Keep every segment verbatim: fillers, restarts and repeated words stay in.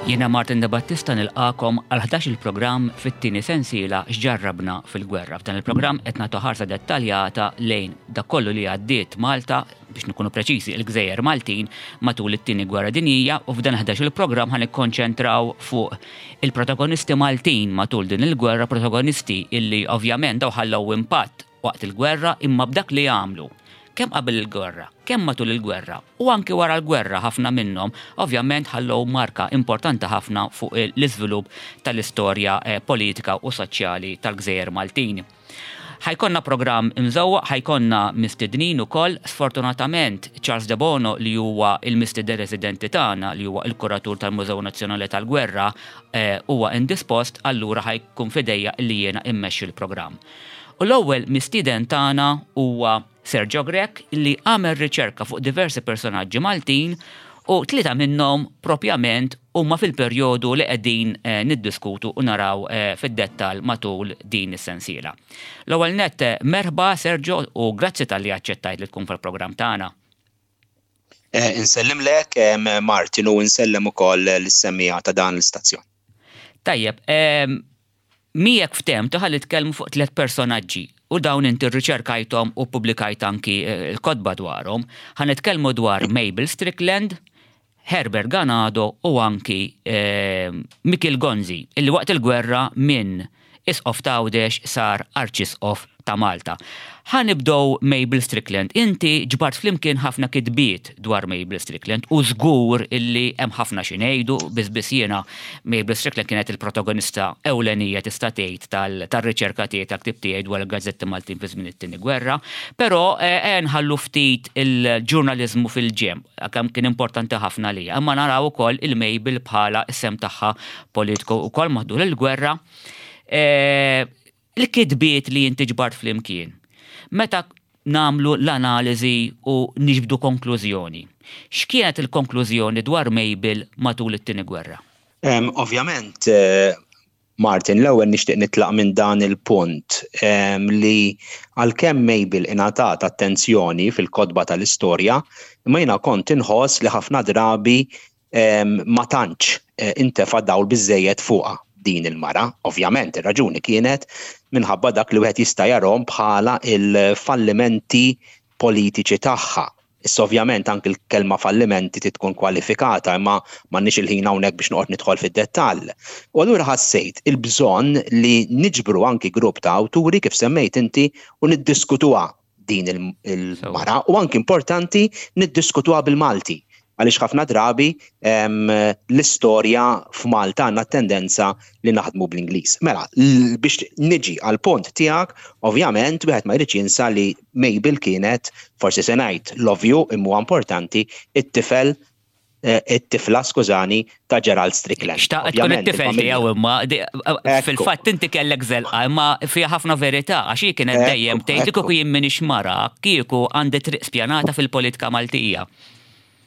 Jiena Martin De Battista nilqagħkom għal ħdax il-programm fit-tieni sensiela X'Ġarrabna fil-Gwerra. F'dan il-programm qed nagħtu ħarsa dettaljata lejn dak kollu li għaddiet Malta, biex nkunu preċiżi, il-Gżejjer Maltin, matul it-tieni gwerra dinjija, u f'dan ħdax il-programm ħa nikkonċentraw fuq il-protagonisti Maltin matul din il-gwerra, protagonisti illi ovvjament daw ħallew impatt waqt il-gwerra, imma b'dak li għamlu kemm qabel il-gwerra, kemm matul il-gwerra u anki wara l-gwerra, ħafna minnhom ovvjament ħallew marka importanti ħafna fuq l-iżvilupp tal-istorja eh, politika u soċjali tal-Gżejjer Maltin. Ħa jkollna programm imżewwaq, ħa jkollna mistednin ukoll. Sfortunatament Charles De Bono, li huwa il-mistieden residenti tagħna, li huwa il-kuratur tal-Mużew Nazzjonali tal-Gwerra, eh, huwa indispost, allura ħa jkun f'idejja li jiena immexxi l-programm. U l-ewwel mistieden tagħna huwa Sergio Grech, li għamel riċerka fuq diversi personaġġi Maltin, u tlieta minnhom propjament huma fil-perjodu li qegħdin eh, niddiskutu u naraw eh, fid-dettal matul din is-sensiela. L-ewwel net, eh, merħba Sergio u grazzi talli aċċettajt li tkun fil-programm tagħna. Eh, insellimlek Martin u insellem ukoll lis-semmiegħa ta' dan l-istazzjon. Tajjeb, miegħek ftehemna ħalli nitkellmu fuq tliet personaġġi u dawn inti rriċerkajthom u publikajt anki l-kotba dwarhom. Ħa nitkellmu dwar Mabel Strickland, Herbert Ganado u anki eh, Mikiel Gonzi, illi waqt il-gwerra minn isqof t'Għawdex sar arċisqof ta' Malta. Ħa nibdew Mabel Strickland. Inti ġbart flimkien ħafna kitbiet dwar Mabel Strickland u żgur illi hemm ħafna xi ngħidu. Biss jiena Mabel Strickland kienet il-protagonista ewlenija, tista' tgħid, tal-riċerka tiegħi, tal-ktib tiegħi dwar il-gazzetti Maltin fi żmien it-tieni gwerra, però eh, nħallu ftit il-ġurnaliżmu fil-ġenb, kemm kien importanti ħafna li. Imma naraw ukoll il-Mabel bħala is-sehem tagħha politiku ukoll matul il-gwerra. Eh, il-kitbiet li inti ġbart flimkien, meta nagħmlu l-analiżi u niġbdu konklużjoni, x'kienet il-konklużjoni dwar Mabel matul it-tieni gwerra? Um, ovvjament, uh, Martin, l-ewwel nixtieq nitlaq minn dan il-punt um, li għalkemm Mabel ingħatat attenzjoni fil-kotba tal-istorja, imma jiena kont inħoss li ħafna drabi um, ma tantx uh, intefa' dawl biżejjed fuqha din il-mara. Ovvjament, ir-raġuni kienet minħabba dak li wieħed jista' jarahom bħala il-fallimenti politiċi tagħha. Issa ovvjament anki l-kelma fallimenti tkun kwalifikata, imma m'għandniex il-ħin hawnhekk biex noqgħod nidħol fid-dettall. U allura ħassejt il-bżonn li niġbru anki grupp ta' awturi, kif semmejt inti, u niddiskutuha din il-mara, u anki importanti niddiskutuha bil-Malti, għaliex ħafna drabi l-istorja f'Malta għandna tendenza li naħdmu bl-Ingliż. Mela, biex niġi għal punt tiegħek, ovvjament wieħed ma jridx jinsa li Mabel kienet, forsi se ngħid l-ovvju imma importanti, it-tifel eh, it-tifla, skużani, ta' Gerald Strickland. Xtaqt tkun it-tifel tiegħu, imma fil-fatt inti kellek żelqa, imma fiha ħafna verità, għax hi kienet dejjem tgħid, "Kieku jien m'iniex mara, kieku għandi triq spjanata fil-politika Maltija."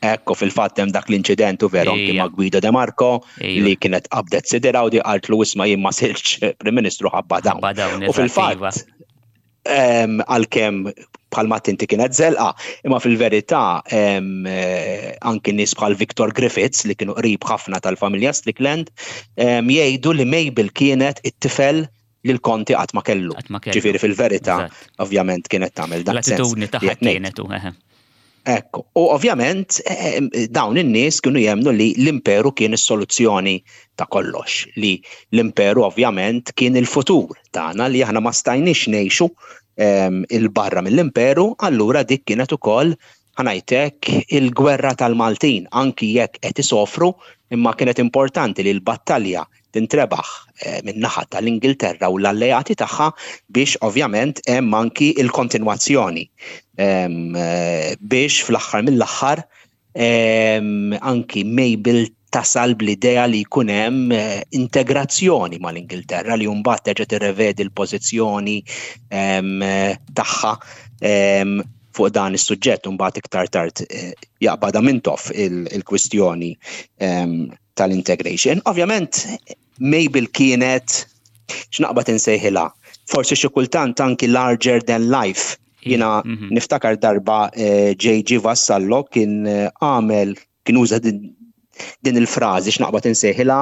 Ekku, fil-fatt hemm dak l-inċident u veru anki ma' Guido De Marco li kienet qabdet sidira u di qaltlu, "Isma', jien ma sirtx Prim Ministru ħabba dawn." U fil-fatt għalkemm bħalma inti kienet żelqa, imma fil-verità eh, anki nies bħal Victor Griffiths, li kienu qrib ħafna tal-familja Strickland, jgħidu li Mabel kienet it-tifel li l-konti qatt ma kellu. Ġifieri fil-verità, ovvjament kienet tagħmel dak. L-attitudni tagħha kienet. Ekku, u ovvjament eh, eh, dawn in-nies kienu jemnu li l-imperu kien is-soluzzjoni ta' kollox, li l-imperu ovvjament kien il-futur tagħna, li aħna ma stajniex ngħixu 'il barra mill-imperu. Allura dik kienet ukoll, ħa ngħidlek, il-gwerra tal-Maltin, anki jekk qed isofru, imma kienet importanti li l-battalja tintrebaħ eh, minn naħa tal-Ingilterra u l-alleati tagħha biex ovvjament hemm anki il-kontinwazzjoni eh, biex fl-aħħar mill-aħħar anki Mabel tasal bl-idea li jkun hemm eh, integrazzjoni mal-Ingilterra, li mbagħad terġa' tirrevedi l-pożizzjoni tagħha fuq dan is-suġġett, u mbagħad iktar tard jaqbadha Mintoff il-kwistjoni tal-integration. Ovvjament Mabel kienet, x'naqbad insejħilha, forsi xi kultant anki larger than life. Jiena mhm. niftakar darba J G. Vassallo kien eh, għamel, kien uża din din il-frażi x'naqbad insejħilha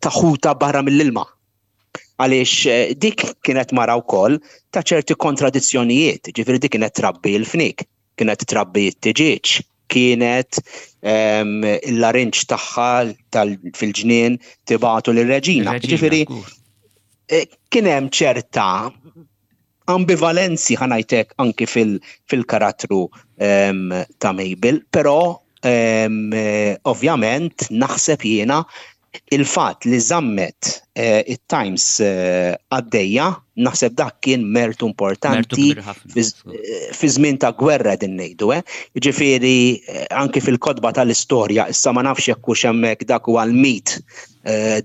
ta' ħuta barra mill-ilma. Għaliex eh, dik kienet mara wkoll ta' ċerti kontradizzjonijiet, ġifieri dik kienet trabbi l-fnik, kienet trabbi t-tiġieġ, kienet il-larinġ tagħha fil-ġnien tibagħtu lir-reġina. Ġifieri eh, kien hemm ċerta ambivalenzi, ħa ngħidlek, anki fil-karattru ta' Mabel, però ovvjament naħseb jiena il-fatt li żammet eh, it-Times eh, għaddejja, naħseb dak kien mertu importanti fi żmien ta' gwerra din ngħidu, eh. Ġifieri anki fil-kotba tal-istorja, issa ma nafx jekk hux hemmhekk dak huwa l-mit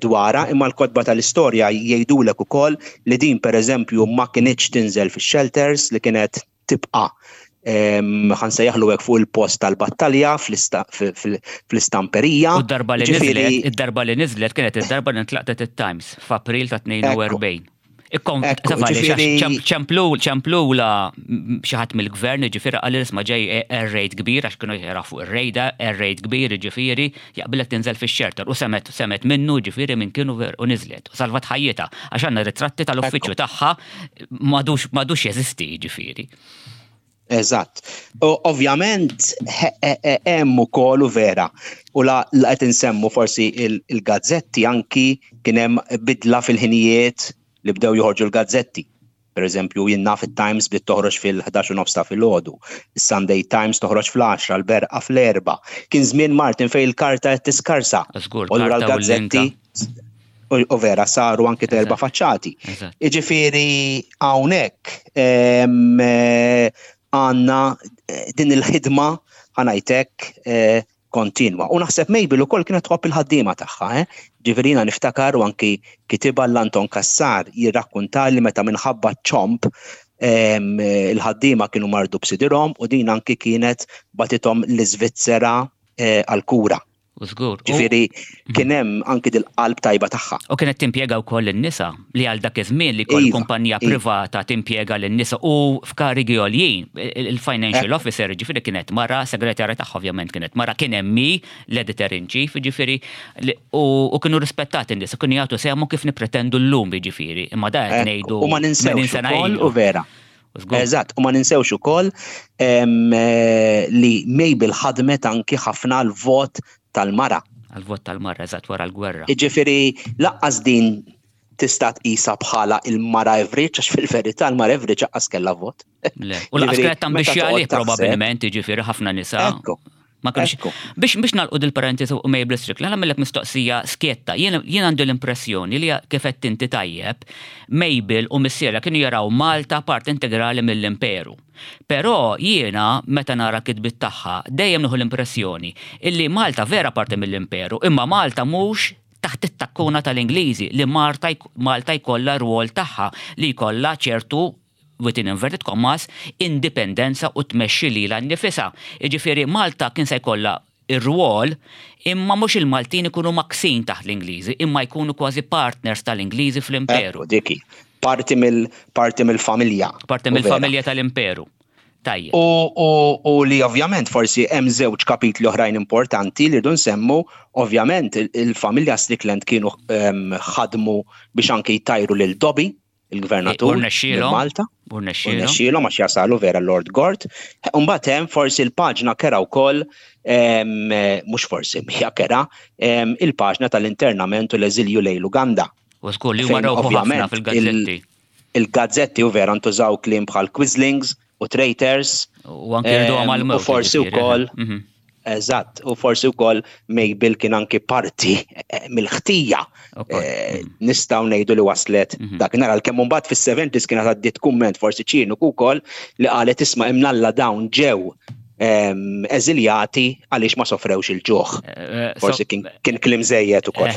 dwara, imma l-kotba tal-istorja jgħidulek ukoll li din, pereżempju, ma kinitx tinżel fix-shelters, li kienet tibqa' ħa nsejjaħlu hekk fuq il-post tal-battalja fl-istamperija. U d-darba li niżlet, id-darba li niżlet kienet id-darba li ntlaqtet it-Times f'April ta' tnejn u erbgħin. ċemplu ċemplula xi ħadd mill-gvern, ġifieri qal, "Isma', ġej air raid kbir," għax kienu jara fuq ir-rejda, air raid kbir, ġifieri jaqbilek tinżel fix-shelter, u semgħet semgħet minnu, ġifieri minn kienu u niżlet. U salvat ħajjitha għax għandna ritratti tal-uffiċċju tagħha m'għadux jeżisti, ġifieri. Eżatt. Ovvjament hemm ukoll u vera. U la qed insemmu forsi il-gazzetti, anki kien hemm bidla fil-ħinijiet li bdew joħorġu l-gazzetti. Per eżempju, jien naf it-Times bdiet toħroġ fil-ħdax u nofs ta' filgħodu, is-Sunday Times toħroġ fl-għaxra, l-Berqa fl-erbgħa. Kien żmien, Martin, fejn il-karta qed tiskarsa. U allura l-gazzetti u vera saru anki terba' faċċati. Iġifieri hawnhekk għandna eh, din il-ħidma, ħa ngħidlek, eh, kontinwa. U naħseb Mabel ukoll kienet tħobb il-ħaddiema tagħha, eh? Ġifieri niftakar u anki kitibha l-Anton Kassar jirrakkunta li meta minħabba ċomb il-ħaddiema kienu mardu b'sidirhom u din anki kienet bagħtithom l-Iżvizzera eh, għal-kura. U żgur. Ġifieri kien hemm anki dil-qalb tajba tagħha. U kienet timpjega wkoll in-nisa, li għal dak iż-żmien li kol iva, kumpanija iva. privata timpjega lin-nisa u f'karigi għoljin, il-financial officer ġifieri kienet mara, segretarja tagħha ovvjament kienet mara, kien hemm l-editor in chief, ġifieri u u kienu rispettati n-nisa, kienu jagħtu sehmu kif nippretendu llum, ġifieri, imma da qed ngħidu U ma ninsewx sena ukoll ilu. U vera. U żgur. Eżatt, u ma ninsewx ukoll em, eh, li Mabel ħadmet anki ħafna l-vot tal-mara. Għal-vot tal-mara, eżatt, wara l-gwerra. Iġifieri lanqas din tista' tqisha bħala il-mara average, għax fil-verità l-mara average lanqas kellha vot. Le. U lanqas Ġifieri, kienet tambixxi meta toqgħod għalih taħseb- probabbilment, ġifieri ħafna nisa. Ekku. Ma kienx. Ekku. Biex biex nagħlqu dil-parentesi u Mabel Strickland, nagħmellek mistoqsija skjetta. Jien jien għandu l-impressjoni li kif qed inti tajjeb, Mabel u missierha kienu jaraw Malta part integrali mill-imperu. Però jiena meta nara kitbit tagħha dejjem nieħu l-impressjoni illi Malta vera parti mill-imperu, imma Malta mhux taħt it-takkuna tal-Ingliżi, li Malta Malta jkollha rwol tagħha, li jkollha ċertu, within inverted commas, indipendenza u tmexxi lilha nnifisha. Jiġifieri Malta kien se jkollha ir-rwol, imma mhux il-Maltin ikunu maksin taħt l-Ingliżi, imma jkunu kważi partners tal-Ingliżi fl-imperu. Ekku, diki. Parti mill parti mill-familja. Parti U vera. mill-familja tal-imperu. Tajjeb. U, u, u li ovvjament forsi hemm żewġ kapitli oħrajn importanti li rridu nsemmu, ovvjament il- il-familja Strickland kienu em, ħadmu biex anke jtajru lil Dobby, il-gvernatur U rnexxielhom. minn Malta. U U rnexxielhom. rnexxielhom għax jasalu vera Lord Gort. Mbagħad hemm forsi l-paġna kerha wkoll, em, mhux forsi, hija kerha, em, il-paġna tal-internament u l-eżilju lejn l-Uganda. U żgur li huma Fejn rawħu ħafna ovvjament fil-gazzetti. Il-gazzetti u vera ntużaw kliem bħal quislings u traitors. U anke rridu Em, għal u forsi wkoll Mhm. Eżatt, u forsi wkoll Mabel kien anki parti eh, mill-ħtija. Ukoll. Eh, Nistgħu ngħidu li waslet Mhm. dak nara l-kemm mbagħad fis-seventies kienet għaddiet kumment forsi ċiniku wkoll li qalet, "Isma', imnalla dawn ġew em, eżiljati għaliex ma sofrewx il-ġuħ." Eh, Forsi kien kien kliem żejjed ukoll.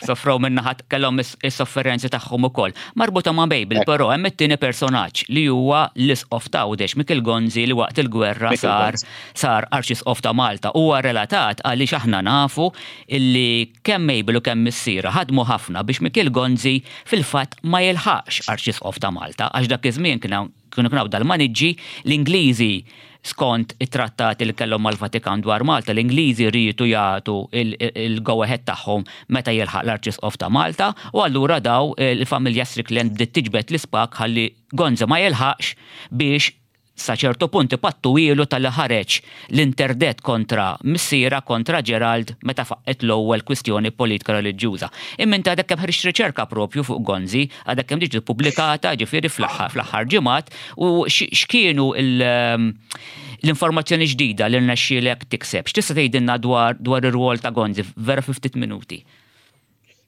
Sofrew minnaħat kellhom is- is-sofferenzi tagħhom ukoll. Marbuta ma' Mabel, Ekku. però hemm it-tieni personaġġ li huwa l-isqof ta' Għawdex, Mikiel Gonzi, li waqt il-gwerra Mikiel sar Gonzi. sar arċisqof ta' Malta. Huwa relatat għaliex aħna nafu illi kemm Mabel u kemm missierha ħadmu ħafna biex Mikiel Gonzi fil-fatt ma jilħaqx arċisqof ta' Malta, għax dak iż-żmien kien hawn- kienu kienu dal-maniġġi l-Ingliżi. Skont it-trattati li kellhom mal-Vatikan dwar Malta, l-Ingliżi riedu jagħtu il-go ahead tagħhom meta jilħaq l-Arċisqof ta' Malta, u allura daw il-familja Strickland bdiet tiġbed l-ispag ħalli Gonzi ma jilħaqx, biex sa ċertu punt ipattu ilu talli ħareġ l-interdet kontra missiera, kontra Gerald, meta faqqet l-ewwel kwistjoni politika reliġjuża. Imma inti għadek kemm ħriġt riċerka propju fuq Gonzi, għadek kemm ġiet pubblikata, ġifieri fl-aħħar fl-aħħar ġimgħat, u x'kienu l-informazzjoni ġdida li rnexxielek tikseb? X'tista' tgħidilna dwar dwar ir-rwol ta' Gonzi vera fi ftit minuti?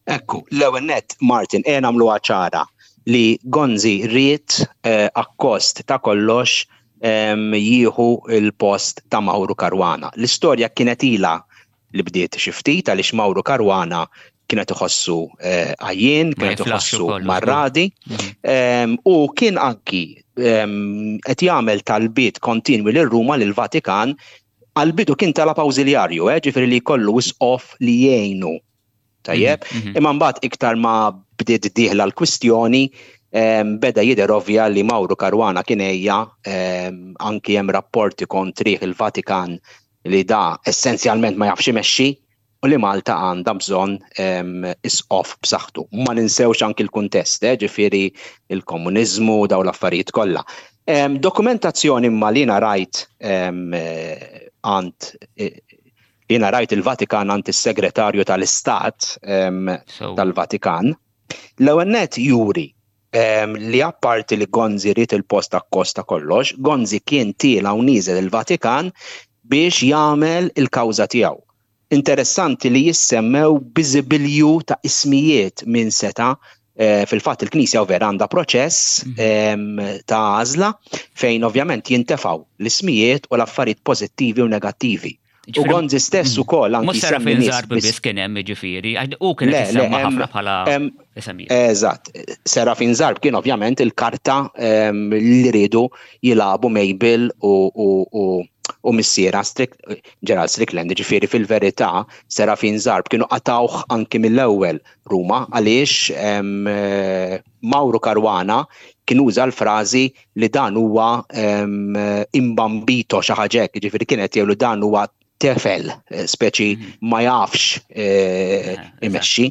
Ekku, l-ewwel net, Martin, e nagħmluha ċara li Gonzi ried eh, akkost ta' kollox jieħu il-post ta' Mauro Caruana. L-istorja kienet ila li bdiet xi ftit, għaliex Mauro Caruana kienet iħossu eh, għajjien, kienet iħossu marradi, mhm. u kien anki qed jagħmel talbiet kontinwi lil Ruma, lil Vatikan. Għal-bidu kien talab awżiljarju, eh, ġifieri li jkollu isqof li jgħinu. Tajjeb, mhm, mhm. imma mbagħad iktar ma bdiet dieħla l-kwistjoni, beda jidher ovvja li Mauro Caruana kien ejja, anki hemm rapporti kontrih il-Vatikan li da essenzjalment ma jafx imexxi u li Malta għandha bżonn isqof b'saħħtu. Ma ninsewx anki l-kuntest, eh, ġifieri il-komuniżmu, daw l-affarijiet kollha. Dokumentazzjoni imma li rajt għand jiena rajt il-Vatikan, għand is-segretarju tal-Istat tal-Vatikan, l-ewwel net juri li apparti li Gonzi ried il-post akkost ta' kollox, Gonzi kien tiela' u nieżel il-Vatikan biex jagħmel il-kawża tiegħu. Interessanti li jissemmew biżibilju ta' ismijiet minn seta eh, fil-fatt il-Knisja vera għandha proċess mhm. ta' għażla fejn ovvjament jintefgħu l-ismijiet u l-affarijiet pożittivi u negattivi. U Gonzi stess mhm. ukoll anki Mhux Serafin Zarb biss kien hemm, ġifieri, u kien qed ħafna bħala Eżatt, Serafin Zarb kien ovvjament il-karta li riedu jilagħbu Mabel u u missiera Gerald Strickland. Ġifieri fil-verità Serafin Zarb kienu qatawh anki mill-ewwel Ruma, għaliex Mauro Caruana kien uża l-frażi li dan huwa imbambito, xi ħaġa hekk, ġifieri kienet jgħidu dan huwa tefel, eh, speċi mhm. ma jafx eh, eh, imexxi.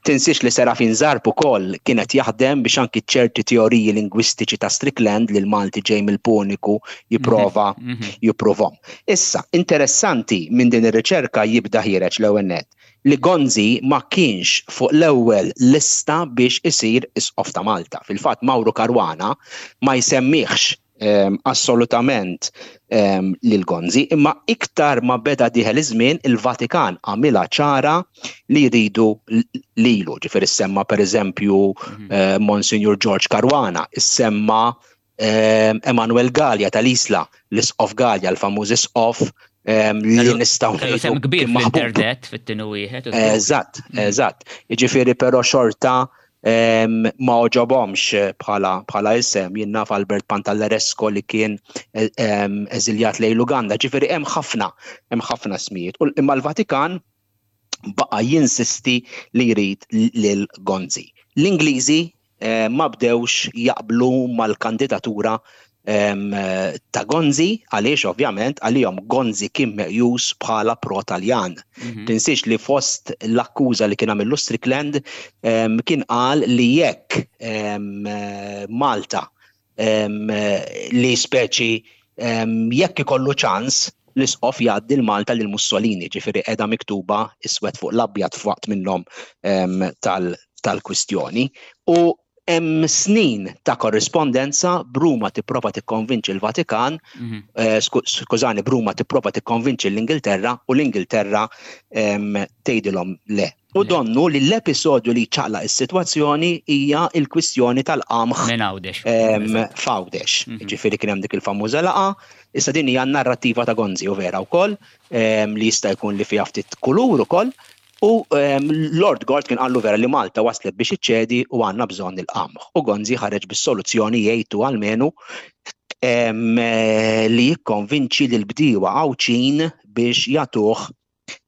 Tinsiex li Serafin Zarb ukoll kienet jaħdem biex anki ċerti teoriji lingwistiċi ta' Strickland li l-Malti ġej mill-Puniku jipprova mhm, mhm. jipprovhom. Issa, interessanti minn din ir-riċerka jibda ħiereġ l-ewwel net li Gonzi ma kienx fuq l-ewwel lista biex isir isqof ta' Malta. Fil-fatt Mauro Caruana ma jsemmihx um, assolutament um, lil Gonzi, imma iktar ma beda dieħel iż-żmien, il-Vatikan għamilha ċara li jridu lilu. Ġifieri semma pereżempju mm -hmm. uh, Monsignor George Caruana, issemma um, Emanuel Gallia tal-Isla, l-Isqof Gallia, l-famuż isqof um, li nistgħu Kellu sem kbir fl-internet fit-tieni wieħed. Eżatt, mhm. eżatt. Jiġifieri però xorta ma għoġobhomx bħala bħala isem. Jien naf Albert Pantalleresco li kien eżiljat lejn l-Uganda. Ġifieri hemm ħafna, hemm ħafna ismijiet. Imma l-Vatikan baqa' jinsisti li jrid lil Gonzi. L-Ingliżi eh, ma bdewx jaqblu mal-kandidatura ta' Gonzi, għaliex ovvjament għalihom Gonzi kien meqjus bħala pro-Taljan. Mhm. Tinsiex li fost l-akkuża li kien għamillu Strickland kien qal li jekk Malta li speċi jekk ikollu ċans l-isqof jgħaddi l-Malta lil Mussolini, ġifieri qiegħda miktuba iswed fuq l-abjad f'waqt minnhom tal-kwistjoni. U hemm snin ta' korrispondenza b'Ruma tipprova tikkonvinċi l-Vatikan, mhm. eh, skużani, b'Ruma tipprova tikkonvinċi l-Ingilterra u l-Ingilterra tgħidilhom le. U donnu li l-episodju li ċaqlaq is-sitwazzjoni hija il-kwistjoni tal-qamħ Minn Għawdex. f'Għawdex. Mhm. Ġifieri kien hemm dik il-famuża laqgħa. Issa din hija narrattiva ta' Gonzi u vera wkoll li jista' jkun li fiha ftit kulur ukoll. U Lord Gort kien qallu vera li Malta waslet biex iċċedi u għandna bżonn il-qamħ. U Gonzi ħareġ bis-soluzzjoni, jgħidu almenu, li jikkonvinċi lil bdiewa Għawdxin biex jagħtuh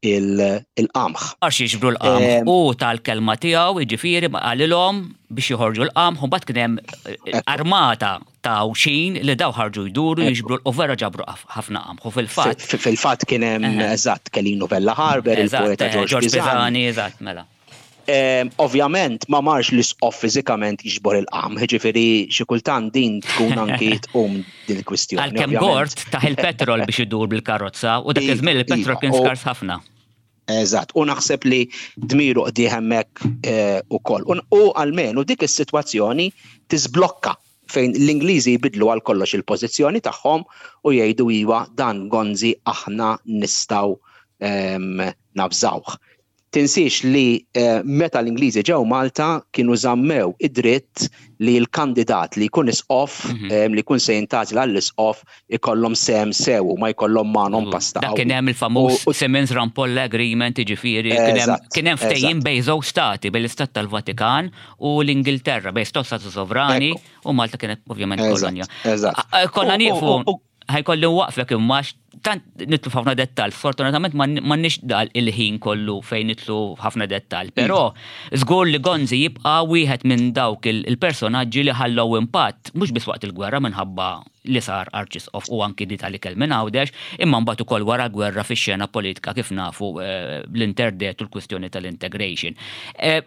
il-qamħ. Għax jiġbru l-qamħ u tal-kelma tiegħu, jiġifieri qalilhom biex joħorġu l-qamħ, u mbagħad kien hemm eh, armata ta' Għawdxin li daw ħarġu jduru jiġbru u vera ġabru ħafna qamħ. U fil-fatt. Fil-fatt kien hemm eżatt Kelinu Vella Harber, il-poeta George Pisani, eżatt, mela. Ovvjament ma marx l-isqof fiżikament jiġbor il-qamħ, ġifieri xi kultant din tkun anki tqum din il-kwistjoni. Għalkemm Gort tah il-petrol biex idur bil-karozza u dak iż-żmien il-petrol kien skars ħafna. Eżatt, u naħseb li dmiru qdieh hemmhekk eh, ukoll. U almenu dik is-sitwazzjoni tiżblokka fejn l-Ingliżi jbidlu għal kollox il-pożizzjoni tagħhom u jgħidu iwa, dan Gonzi aħna nistgħu nafżawh. Tinsiex li eh, meta l-Ingliżi ġew Malta kienu żammew id-dritt li l-kandidat li jkun isqof, mm -hmm. li jkun se jintgħażel għall-isqof, ikollhom sehem sew u ma jkollhom magħhom pasta. Dak kien hemm il-famuż Simmons Rampolla Agreement, jiġifieri kien hemm ftehim bejn żewġ stati, bejn l-Istat tal-Vatikan u l-Ingilterra, bejn stati sovrani, u Malta kienet ovvjament kolonja. Konna nieqfu, ħa jkolli nwaqqfek imma tant nidħlu f'ħafna dettal. Fortunatament m'għandniex dal il-ħin kollu fejn nidħlu ħafna dettal, però żgur li Gonzi jibqa' wieħed minn dawk il-personaġġi li ħallew impatt mhux biss waqt il-gwerra minħabba li sar arċisqof u anki di tal-ikel minn Għawdex, imma mbagħad ukoll wara gwerra fix-xena politika, kif nafu, eh, l-interdet u l-kwistjoni tal-integration. Eh,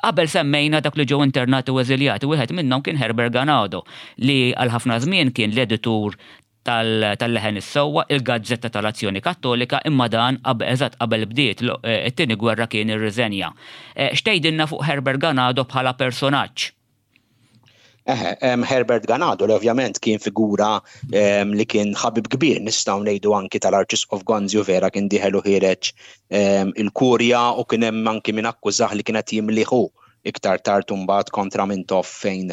qabel semmejna dak li ġew internati u eżiljati, wieħed minnhom kien Herbert Ganado, li għal ħafna żmien kien l-editur tal-Leħen is-Sewwa, il-Gazzetta tal-Azzjoni Kattolika, imma dan eżatt qabel bdiet eh, it-tieni gwerra kien irriżenja. Eh, x'tgħidilna fuq Herbert Ganado bħala personaġġ? Eħe, Herbert Ganado li ovvjament kien figura li kien ħabib kbir, nistgħu ngħidu, anki tal-Arċisqof Gonzi u vera kien dieħel u ħiereġ il-kurja u kien hemm anki min akkużah li kienet jimlih hu iktar tard mbagħad kontra Mintoff fejn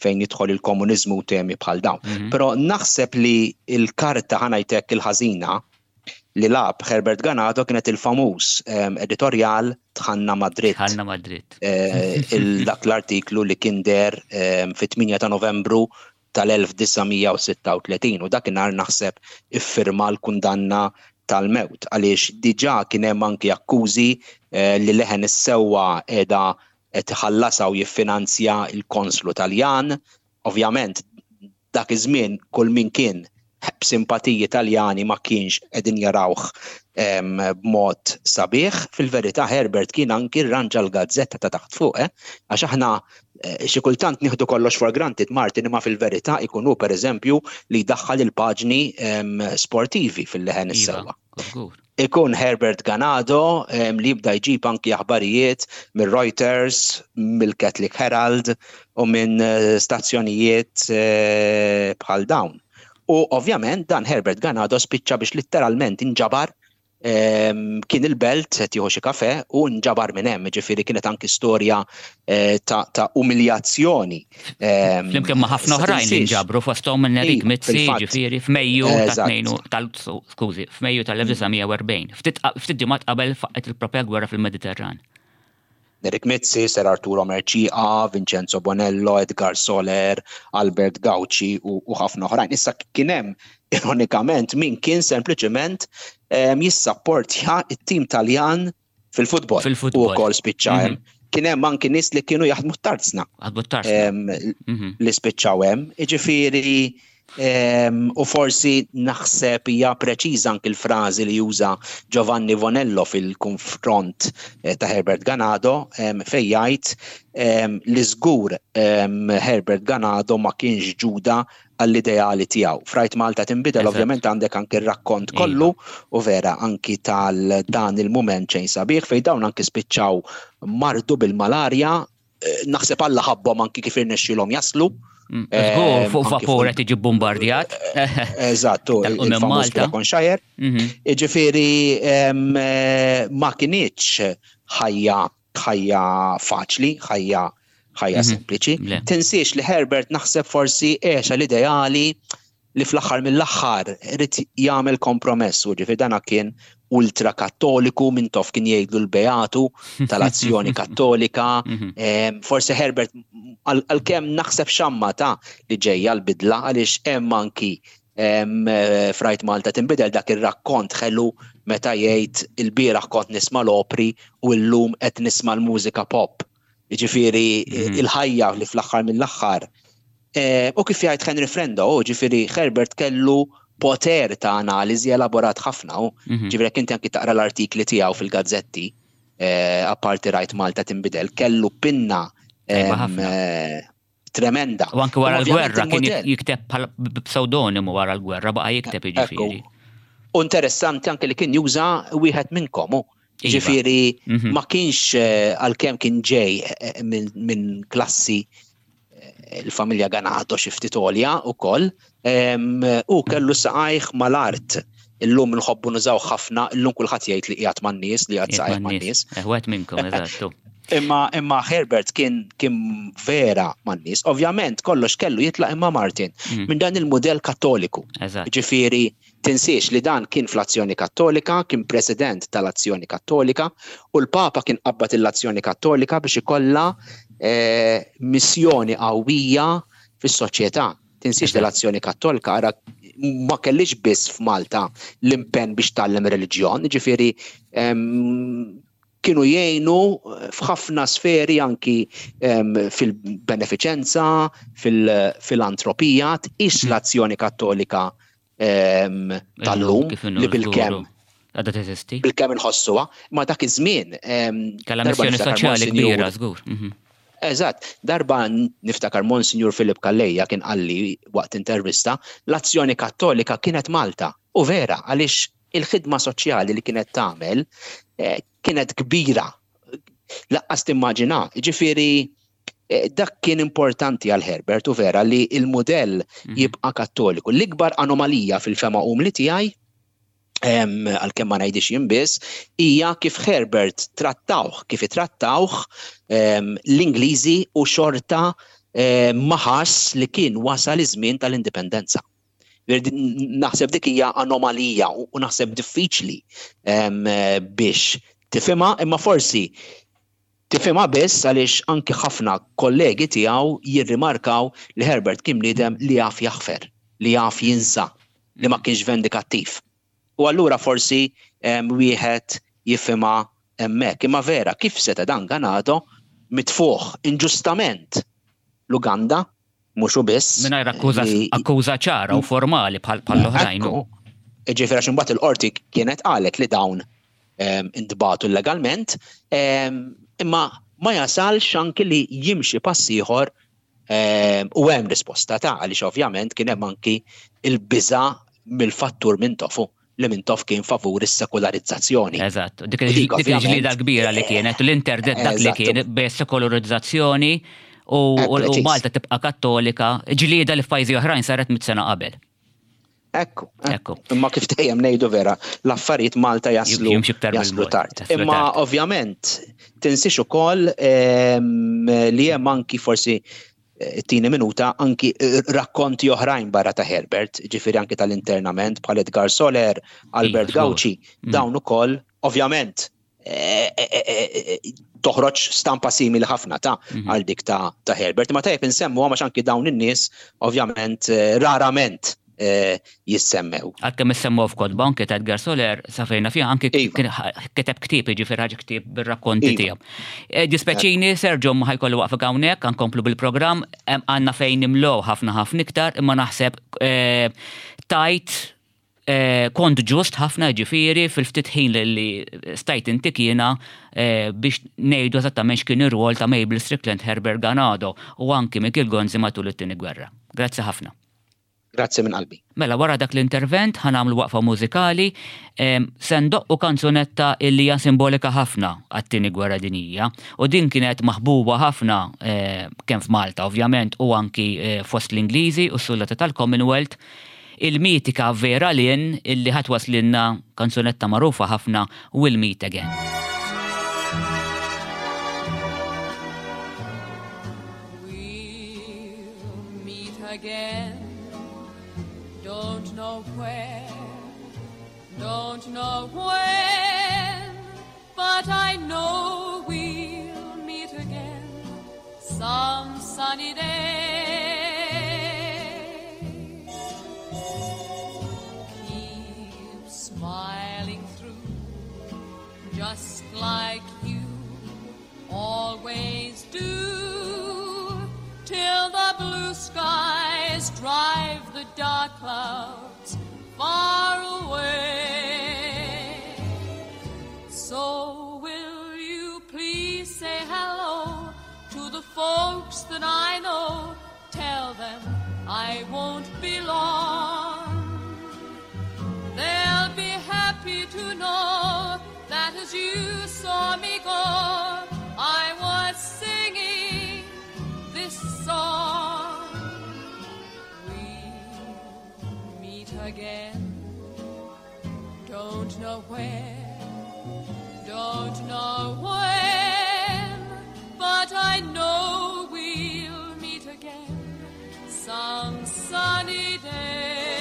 fejn jidħol il-komuniżmu u temi bħal dawn. Mm -hmm. Però naħseb li il-karta, ħa ngħidlek, il-ħażina li lagħab Herbert Ganado kienet il-famuż um, editorial "Dħalna Madrid". Dħalna Madrid. Eh, dak l-artiklu li kien deher um, fit-tmienja ta' Novembru tal-elf disa' mija u sitta u tletin u dakinhar naħseb iffirma l-kundanna tal-mewt, għaliex diġà kien hemm anki akkużi eh, li Leħen is-Sewwa qiegħda qed iħallasha u jiffinanzja il-konslu Taljan. Ovvjament dak iż-żmien kull min kien b'simpatiji Taljani ma kienx qegħdin jarawh b'mod sabiħ. Fil-verità Herbert kien anki rranġa l-gazzetta ta' taħt fuq, eh? Għax aħna eh, xi kultant nieħdu kollox for granted, Martin, imma fil-verità ikunu pereżempju li jdaħħal il-paġni sportivi fil-Leħen Iva, is-Sewwa. Ikun Herbert Ganado li jibda jġib anki aħbarijiet mill Reuters, mill-Catholic Herald u minn eh, stazzjonijiet eh, bħal dawn. U ovvjament dan Herbert Ganado spiċċa biex letteralment inġabar, kien il-Belt qed jieħu xi kafe u nġabar minn hemm, ġifieri kienet anki storja eh, ta', ta umiljazzjoni. Flimkien ma' ħafna oħrajn li nġabru, fosthom minn Erik Mizzi, ġifieri f'Mejju ta' tal skużi, f'Mejju tal-elf disa' mija u erbgħin. Ftit ġimgħat qabel faqqet il-propja gwerra fil-Mediterran. Nerik Mizzi, Sir Arturo Mercieca, Vincenzo Bonello, Edgar Soler, Albert Gauci u ħafna oħrajn. Issa kien hemm ironikament min kien sempliċement jissapportja it-tim Taljan fil-futbol. Fil-futbol. U wkoll spiċċa hemm. Mhm. Kien hemm anki nies li kienu jaħdmu t-tarzna. Jaħdmu t-tarzna. Mhm. Li spiċċaw hemm. Jiġifieri u forsi naħseb hija preċiża anki l-frażi li juża Giovanni Bonello fil-konfront eh, ta' Herbert Ganado, fejn jgħid li żgur Herbert Ganado ma kienx ġuda għall-ideali tiegħu. F'Rajt Malta Tinbidel ovvjament għandek anki r-rakkont iva. kollu u vera anki tal dan il-mument xejn sabiħ fejn dawn anki spiċċaw mardu bil-malarja, eh, naħseb Alla ħabbhom anki kif irnexxielhom jaslu. Mm, żgur, fuq vapur qed jiġi bombardjat. Eżattu, il-famuż Shire. Mhm. Ġifieri eh, ma kinitx ħajja ħajja faċli, ħajja ħajja mhm. sempliċi. Tinsiex li Herbert naħseb forsi għex l-ideali li fl-aħħar mill-aħħar irid jagħmel kompromess u ġifieri dana kien ultra kattoliku, Mintoff kien jgħidlu l-Beatu tal-Azzjoni Kattolika. Mhm. Forsi Herbert, għalkemm naħseb xamma ta' li ġejja l-bidla, għaliex hemm anki f'Rajt Malta Tinbidel dak ir-rakkont ħelu meta jgħid il-bieraħ kont nisma' l-opri u llum qed nisma' l-mużika pop. Ġifieri mhm. il-ħajja li fl-aħħar mill-aħħar. Eh, u kif jgħid Henry Frendo, ġifieri Herbert kellu poter ta' analiżi elaborat ħafna, u mhm. ġifieri jekk inti anki taqra l-artikli tiegħu fil-gazzetti, eh, apparti rajt Malta tinbidel, kellu pinna eh, tremenda. U anke wara l-gwerra kien jikteb b'psewdonimu, wara l-gwerra baqa' jikteb, jiġifieri. U interessanti anke li kien juża wieħed minnkom. Iva. Ġifieri mhm. ma kienx, eh, għalkemm kien ġej eh, minn klassi, eh, il-familja Ganado, xi ftit għolja ukoll, u kellu saqajh mal-art. Illum nħobbu nużaw ħafna, illum kulħadd jgħid li qiegħed man-nies, li qiegħed saqajh man-nies. Wieħed minnkom, eżattu. Imma imma Herbert kien kien vera man-nies. Ovvjament kollox kellu jitlaq imma, Martin, mm. minn dan il-modell Kattoliku. Ġifieri tinsiex li dan kien fl-Azzjoni Kattolika, kien president tal-Azzjoni Kattolika u l-Papa kien qabbad l-Azzjoni Kattolika biex ikollha eh, missjoni qawwija fis-soċjetà. Tinsiex li l-Azzjoni Kattolika, ara, ma kellix biss f'Malta l-impenn biex tgħallem reliġjon, ġifieri kienu jgħinu f'ħafna sferi, anki fil-beneficenza, fil-filantropija, tqis mm. l-Azzjoni Kattolika tal-lum li bilkemm għadha teżisti. Bilkemm inħossuha, ma dak iż-żmien. Kellha missjoni soċjali kbira, żgur. Mhm. Eżatt, darba niftakar Monsignor Philip Calleja kien qalli waqt intervista, l-Azzjoni Kattolika kienet Malta. U vera, għaliex il-ħidma soċjali li kienet tagħmel eh, kienet kbira. Lanqas timmaġina, ġifieri eh, dak kien importanti għal Herbert u vera li il-modell mhm. jibqa' Kattoliku. L-ikbar anomalija fil-fehma umli tiegħi, għalkemm ma ngħidix jien biss, hija kif Herbert trattawh, kif trattawh l-Ingliżi u xorta ma ħass li kien wasal iż-żmien tal-indipendenza. Naħseb dik hija anomalija u naħseb diffiċli biex tifhimha, imma forsi tifhimha biss għaliex anki ħafna kollegi tiegħu jirrimarkaw li Herbert kien bniedem li jaf jaħfer, li jaf jinsa, li ma kienx vendikattiv. U allura forsi wieħed jifhimha hemmhekk. Imma vera, kif seta' dan Ganado mitfuħ inġustament l-Uganda, mhux biss. Mingħajr akkuża ċara u formali bħal l-oħrajn. Ġifieri għax imbagħad il-qorti kienet qalet li dawn intbagħtu illegalment, imma ma jasalx anki li jimxi pass ieħor u hemm risposta ta' għaliex ovvjament kien hemm anki il-biża mill-fattur Mintoff, li Mintoff kien favur is-sekolarizzazzjoni. Eżatt, dik il-ġlida kbira li kienet, l-interdet dak li kien b'sekolarizzazzjoni u Malta tibqa' Kattolika, ġlida li f'pajjiżi oħrajn saret mitt sena qabel. Ekku, ekku. Imma kif dejjem ngħidu vera, l-affarijiet Malta jaslu jaslu tard. Imma ovvjament tinsiex ukoll li hemm anki, forsi it-tieni minuta, anki rakkonti oħrajn barra ta' Herbert, ġifieri anki tal-internament bħal Edgar Soler, Albert iva, Gauci, mm. dawn ukoll ovvjament eh, eh, eh, toħroġ stampa simili ħafna ta' mhm. għal dik ta' ta' Herbert. Ma tajjeb insemmu għax anki dawn in-nies ovvjament rarament jissemmew. Għalkemm issemmew f'kotba, anke ta' Edgar Soler, safejna fiha anke iva. kiteb ktieb, jiġifieri ħaġa ktieb bir-rakkonti iva. tiegħu. E, Dispjaċini, Sergio, ma ħa jkolli nwaqqfek hawnhekk, nkomplu bil-programm, għandna fejn nimlow ħafna ħafna iktar, imma naħseb e, tajt e, kont ġust ħafna, ġifieri fil-ftit ħin li stajt inti kiena biex ngħidu eżattament x'kien ir-rwol ta' Mabel Strickland, Herbert Ganado u anki Michael Gonzi matul it-tieni gwerra. Grazzi ħafna. Grazzi minn qalbi. Mela, wara dak l-intervent ħa nagħmlu waqfa mużikali, se ndoqqu kanzunetta illi hija simbolika ħafna għat-tieni gwerra dinjija u din kienet maħbuba ħafna eh, kemm f'Malta ovvjament u anki eh, fost l-Ingliżi u s-soldati tal-Commonwealth, il-mitika Vera Lynn, illi ħa twasslilna kanzunetta magħrufa ħafna, We'll Meet Again. We'll meet again. Don't know where, don't know when, but I know we'll meet again some sunny day. Keep smiling through. just like you always do, till the blue skies drive the dark clouds far away. So will you please say hello to the folks that I know? Tell them I won't be long. They'll be happy to know that as you saw me go, I was singing this song. We'll meet again. Don't know where, don't know when, but I know we'll meet again some sunny day.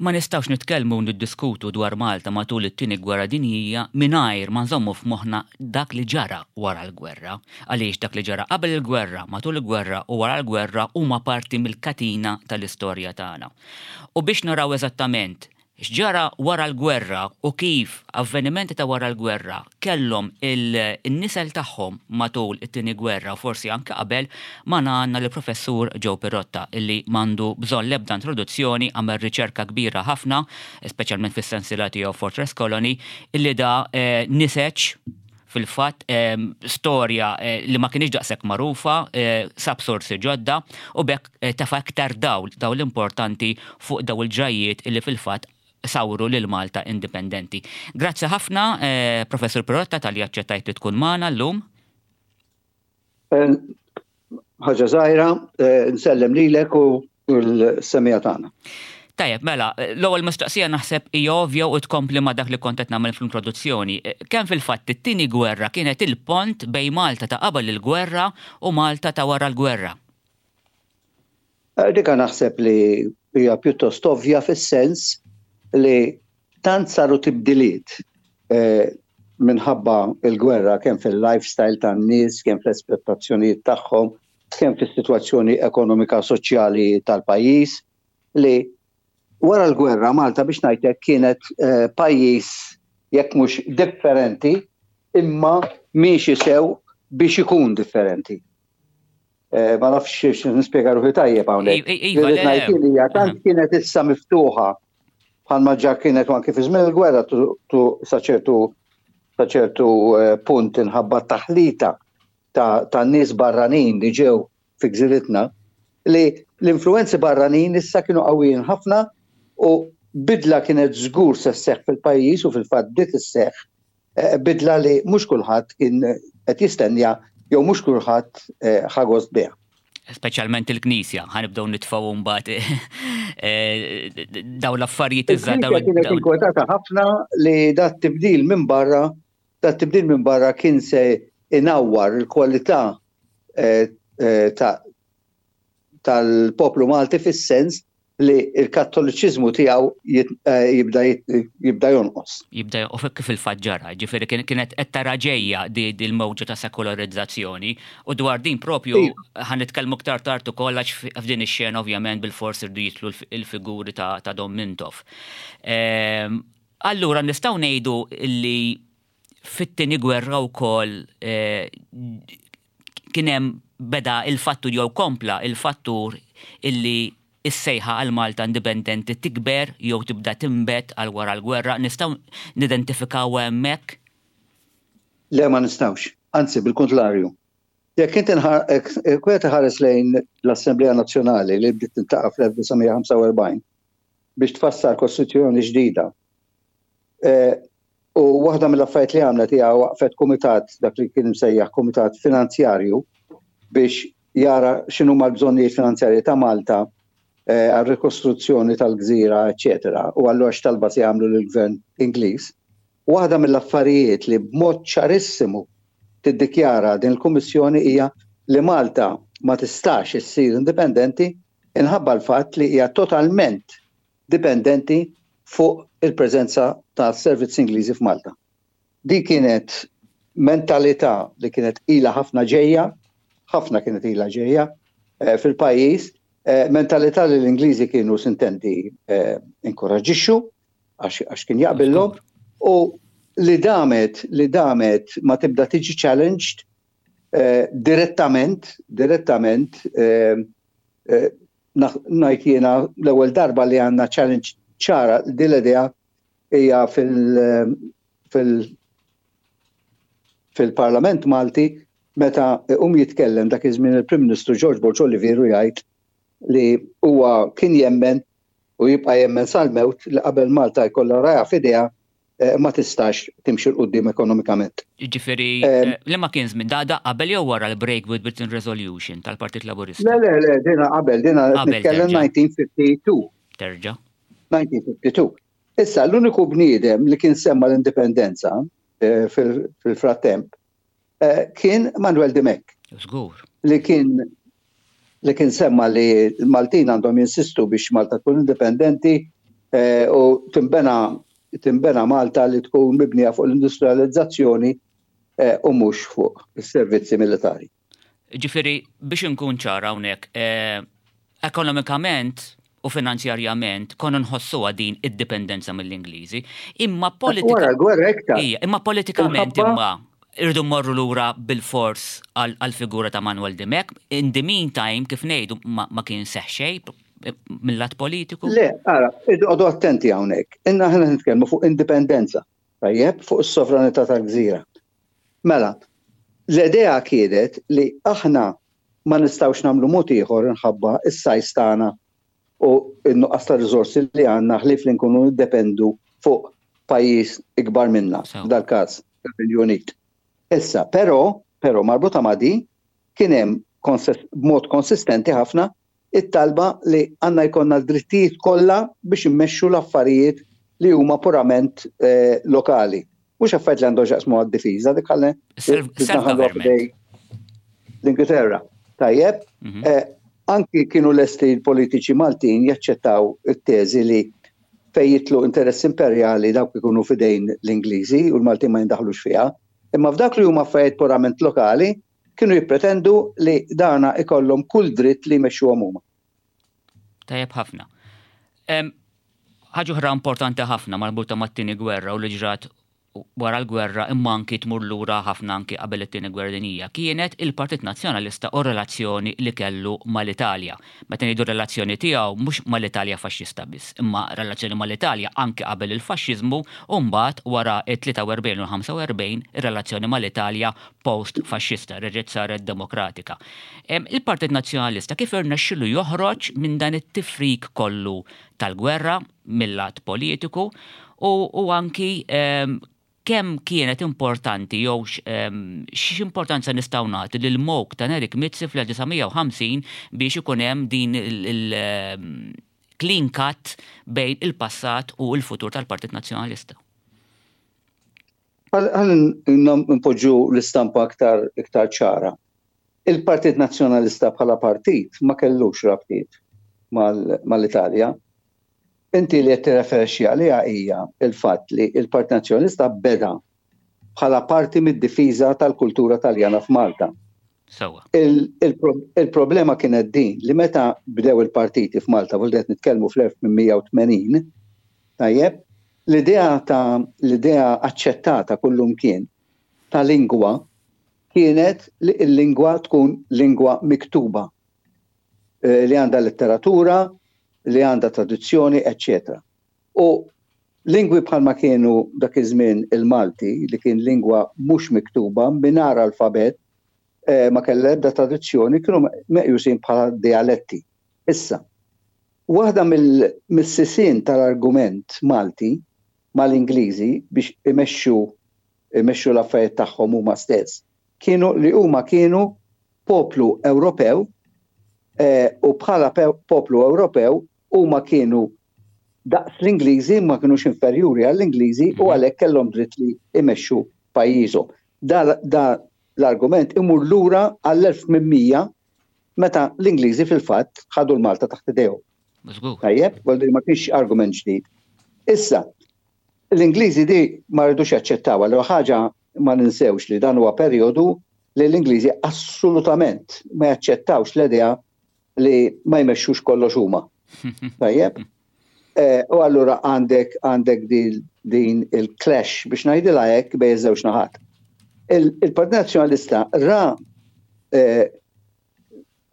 Ma nistgħux nitkellmu u niddiskutu dwar Malta matul it-tieni gwerra dinjija mingħajr ma nżommu f'moħħna dak li ġara wara l-gwerra. Għaliex dak li ġara qabel il-gwerra, matul il-gwerra u wara l-gwerra huma parti mill-katina tal-istorja tagħna. U biex naraw eżattament x'ġara wara l-gwerra u kif avvenimenti ta' wara l-gwerra kellhom il-nisel tagħhom matul it-tieni gwerra u forsi anke qabel, magħna għandna lill-Professur Joe Pirotta, illi m'għandu bżonn l-ebda introduzzjoni, għamel riċerka kbira ħafna, speċjalment fis-sensiela tiegħu Fortress Colony, illi da eh, niseġ fil-fatt eh, storja eh, li ma kienx daqshekk magħrufa, sab sorsi ġodda u bekk tefa' aktar dawl, dawl importanti fuq daw il-ġrajiet illi fil-fatt sawru lil Malta indipendenti. Grazzi ħafna, eh, Professur Pirotta, talli aċċettajt li tkun magħna llum. Ħaġa żgħira, eh, nsellem lilek u l-semmiegħa tagħna. Tajjeb, mela, l-ewwel mistoqsija naħseb hija ovvja u tkompli ma' dak li kont qed nagħmel fl-introduzzjoni. Kemm fil-fatt it-tieni gwerra kienet il-pont bejn Malta ta' qabel il-gwerra u Malta ta' wara l-gwerra? Eh, dika naħseb li hija pjuttost ovvja fis-sens li tant saru tibdiliet eh, minħabba il-gwerra, kemm fil-lifestyle tan-nies, kemm fl-espettazzjonijiet tagħhom, kemm fis-sitwazzjoni ekonomika soċjali tal-pajjiż, li wara l-gwerra Malta, biex ngħidlek, kienet eh, pajjiż jekk mhux differenti, imma miexi sew biex ikun differenti. Eh, ma nafx nispjega ruħi tajjeb hawnhekk. Iva, le, le. Tant kienet issa miftuħa bħalma ġa kienet anke fi żmien il-gwerra tu sa ċertu sa ċertu eh, punt inħabba taħlita ta' ta' nies barranin li ġew fi gżiritna, li l-influenzi barranin issa kienu qawwijin ħafna u bidla kienet żgur se sseħħ fil-pajjiż u fil-fatt bdiet isseħħ, eh, bidla li mhux kulħadd kien qed jistennja jew mhux kulħadd, eh, ħa gost biha. Speċjalment il-Knisja, ħa nibdew nitfgħu mbagħad, eh, daw l-affarijiet iżgħar, daw Il-Knisja kienet daw inkwetata ħafna li dat tibdil minn barra, dat tibdil minn barra kien se inawwar il-kwalità, eh, eh, ta' tal-poplu Malti fis-sens li il-kattoliċiżmu tiegħu eh, jibda jibda jonqos. Jibda u kif il-fatt ġara, ġifieri kienet qed tara ġejja di l-mewġa ta' sekolarizzazzjoni u dwar din propju iva. Ħa nitkellmu aktar tard ukoll għax f'din ix-xena ovvjament bil-fors irdu jidħlu il-figuri ta' Dom Mintoff. Ehm, allura nistgħu ngħidu li fit-tieni gwerra wkoll eh, kien hemm beda il-fattur jew kompla il-fattur illi is-sejħa għal Malta indipendenti tikber jew tibda timbet għal wara l-gwerra, nistgħu nidentifikaw hemmhekk? Le, ma nistgħux, anzi bil-kontrarju. Jekk inti wieħed ħares lejn l-Assemblea Nazzjonali li bdiet tiltaqa' fl-elf disa' mija ħamsa u erbgħin biex tfassal kostituzzjoni ġdida. E, u waħda mill-affarijiet li għamlet hija waqfet kumitat, dak li kien msejjaħ kumitat finanzjarju, biex jara x'inhu l-bżonnijiet finanzjarji ta' Malta Eh, għal-rikostruzzjoni tal-gżira, eċetera. U allura x'talba se jagħmlu lill-gvern Ingliż? Waħda mill-affarijiet li b'mod ċarissimu tiddikjara din il-Kummissjoni hija li Malta ma tistax issir indipendenti inħabba l-fatt li hija totalment dipendenti fuq il-preżenza ta' servizz Ingliżi f'Malta. Di kienet mentalità li kienet ila ħafna ġejja, ħafna kienet ila ġejja eh, fil-pajjiż. Eh, mentalità li l-Ingliżi kienu sintendi eh, inkoraġixxu għax kien jaqbillhom u li damet li damet ma tibda tiġi challenged eh, direttament direttament ngħid jiena l-ewwel darba li għandna challenge ċara din l-idea hija fil- fil fil-Parlament Malti meta um jitkellem dak iż-żmien il-Prim Ministru George Borg Olivier u jgħid li huwa kien jemmen u jibqa' jemmen sal-mewt li qabel Malta jkollha raja f'idejha eh, ma tistax timxi 'l quddiem ekonomikament. Ġifieri, eh, li ma kien żmien da qabel jew wara l-Break with Britain Resolution tal-Partit Laburista? Le, le, le, dina qabel, dina nitkellem elf disa' mija ħamsa u ħamsin. Terġa. elf disa' mija ħamsa u ħamsin. Issa, l-uniku bniedem li kien semma l-indipendenza eh, fil-frattemp kien Manuel Dimech. Żgur. Li kien li kien semma li l-Maltin għandhom jinsistu biex Malta tkun indipendenti eh, u timbena timbena Malta li tkun mibnija fuq l-industrializzazzjoni eh, u mhux fuq is-servizzi militari. Ġifieri, biex nkun ċara hawnhekk, eh, ekonomikament u finanzjarjament konna nħossuha din id-dipendenza mill-Ingliżi, imma politika. Wara gwerra iktar. Imma politikament imma irdu morru lura bil-fors għal-figura ta' Manuel Dimech. In the meantime, kif ngħidu, ma kien seħ xejn mill-lat politiku? Le, ara, għodu attenti hawnhekk. Inna ħna nitkellmu fuq indipendenza, tajjeb, fuq is-sovranità tal-gżira. Mela, l-idea kienet li aħna ma nistgħux nagħmlu mod ieħor inħabba is-size tagħna u n-nuqqas ta' riżorsi li għandna ħlief li nkunu niddependu fuq pajjiż ikbar minna, dal-każ il-Unit. Issa, però, però marbuta ma' di, kien hemm b'mod konsistenti ħafna it-talba li għandna jkollna l-drittijiet kollha biex immexxu l-affarijiet li huma purament eh, lokali. Mhux affarijiet li għandhom x'jaqsmu għad-difiża, dik ħalli l-Ingilterra. Tajjeb, mhm. eh, anki kienu lesti l-politiċi Maltin jaċċettaw it-teżi li fej jidħlu interess imperjali dawk ikunu fidejn l-Ingliżi u l-Maltin ma jindaħlux fiha. Imma f'dak li huma affarijiet purament lokali, kienu jippretendu li dana ikollhom kull dritt li jmexxuhom huma. Tajjeb ħafna. Ħaġa oħra importanti ħafna marbuta mat-tieni gwerra u li ġrat wara l-gwerra imma anki tmur lura ħafna anki qabel it-tieni gwerra dinjija kienet il-Partit Nazzjonalista u relazzjoni li kellu mal-Italja. Meta ngħidu relazzjoni tiegħu mhux mal-Italja faxxista biss, imma relazzjoni mal-Italja anki qabel il-faxxiżmu u mbagħad wara it-tlieta u erbgħin u ħamsa u erbgħin ir-relazzjoni mal-Italja post-faxxista reġgħet saret demokratika. Il-Partit Nazzjonalista kif irnexxilu joħroġ minn dan it-tifrik kollu tal-gwerra mill-lat politiku u, u anki kemm kienet importanti jew x'importanza nistgħu nagħti lil M O K ta' Nerik Mizzi fl-elf disa' mija u ħamsin biex ikun hemm din il-clean cut bejn il-passat u l-futur tal-Partit Nazzjonalista? Ħalli npoġġu l-istampa aktar iktar ċara. Il-Partit Nazzjonalista bħala partit ma kellux rabtiet mal-Italja. Inti li qed tirreferixxi għaliha hija il-fatt li il-Partit Nazzjonalista beda bħala parti mid-difiża tal-kultura Taljana f'Malta. Sewwa. Il-problema kienet din li meta bdew il-partiti f'Malta, vuol qed nitkellmu fl-elf tmien mija u tmenin, tajjeb, l-idea ta' l-idea aċċettata kullumkien ta' lingwa kienet li l-lingwa tkun lingwa miktuba eh, li għandha letteratura, li għandha traduzzjoni, eċċetera. U lingwi bħalma kienu dak iż-żmien il-Malti, li kien lingwa mhux miktuba, mingħajr alfabet, eh, ma kellha ebda traduzzjoni, kienu meqjusin bħala dialetti. Issa, waħda mill-sisien tal-argument Malti mal-Ingliżi biex imexxu imexxu l-affarijiet tagħhom huma stess, kienu li huma kienu poplu Ewropew eh, u bħala poplu Ewropew huma kienu daqs l-Ingliżi, ma kienux inferjuri għall-Ingliżi u mhm. għalhekk kellhom dritt li imexxu pajjiżhom. Da, da l-argument imur lura għall-elf tmien mija meta l-Ingliżi fil-fatt ħadu l-Malta taħt idejhom. Tajjeb, ma kienx argument ġdid. Issa, l-Ingliżi di ma rridux jaċċettaw, għal ħaġa ma ninsewx li dan huwa perjodu li l-Ingliżi assolutament ma jaċċettawx l-idea li ma jmexxux kollox huma. Tajjeb? Eh, u allura għandek għandek din il-clash, biex ngħidilha hekk, bejn iż-żewġ naħat. Il-Partit Nazzjonalista ra eh,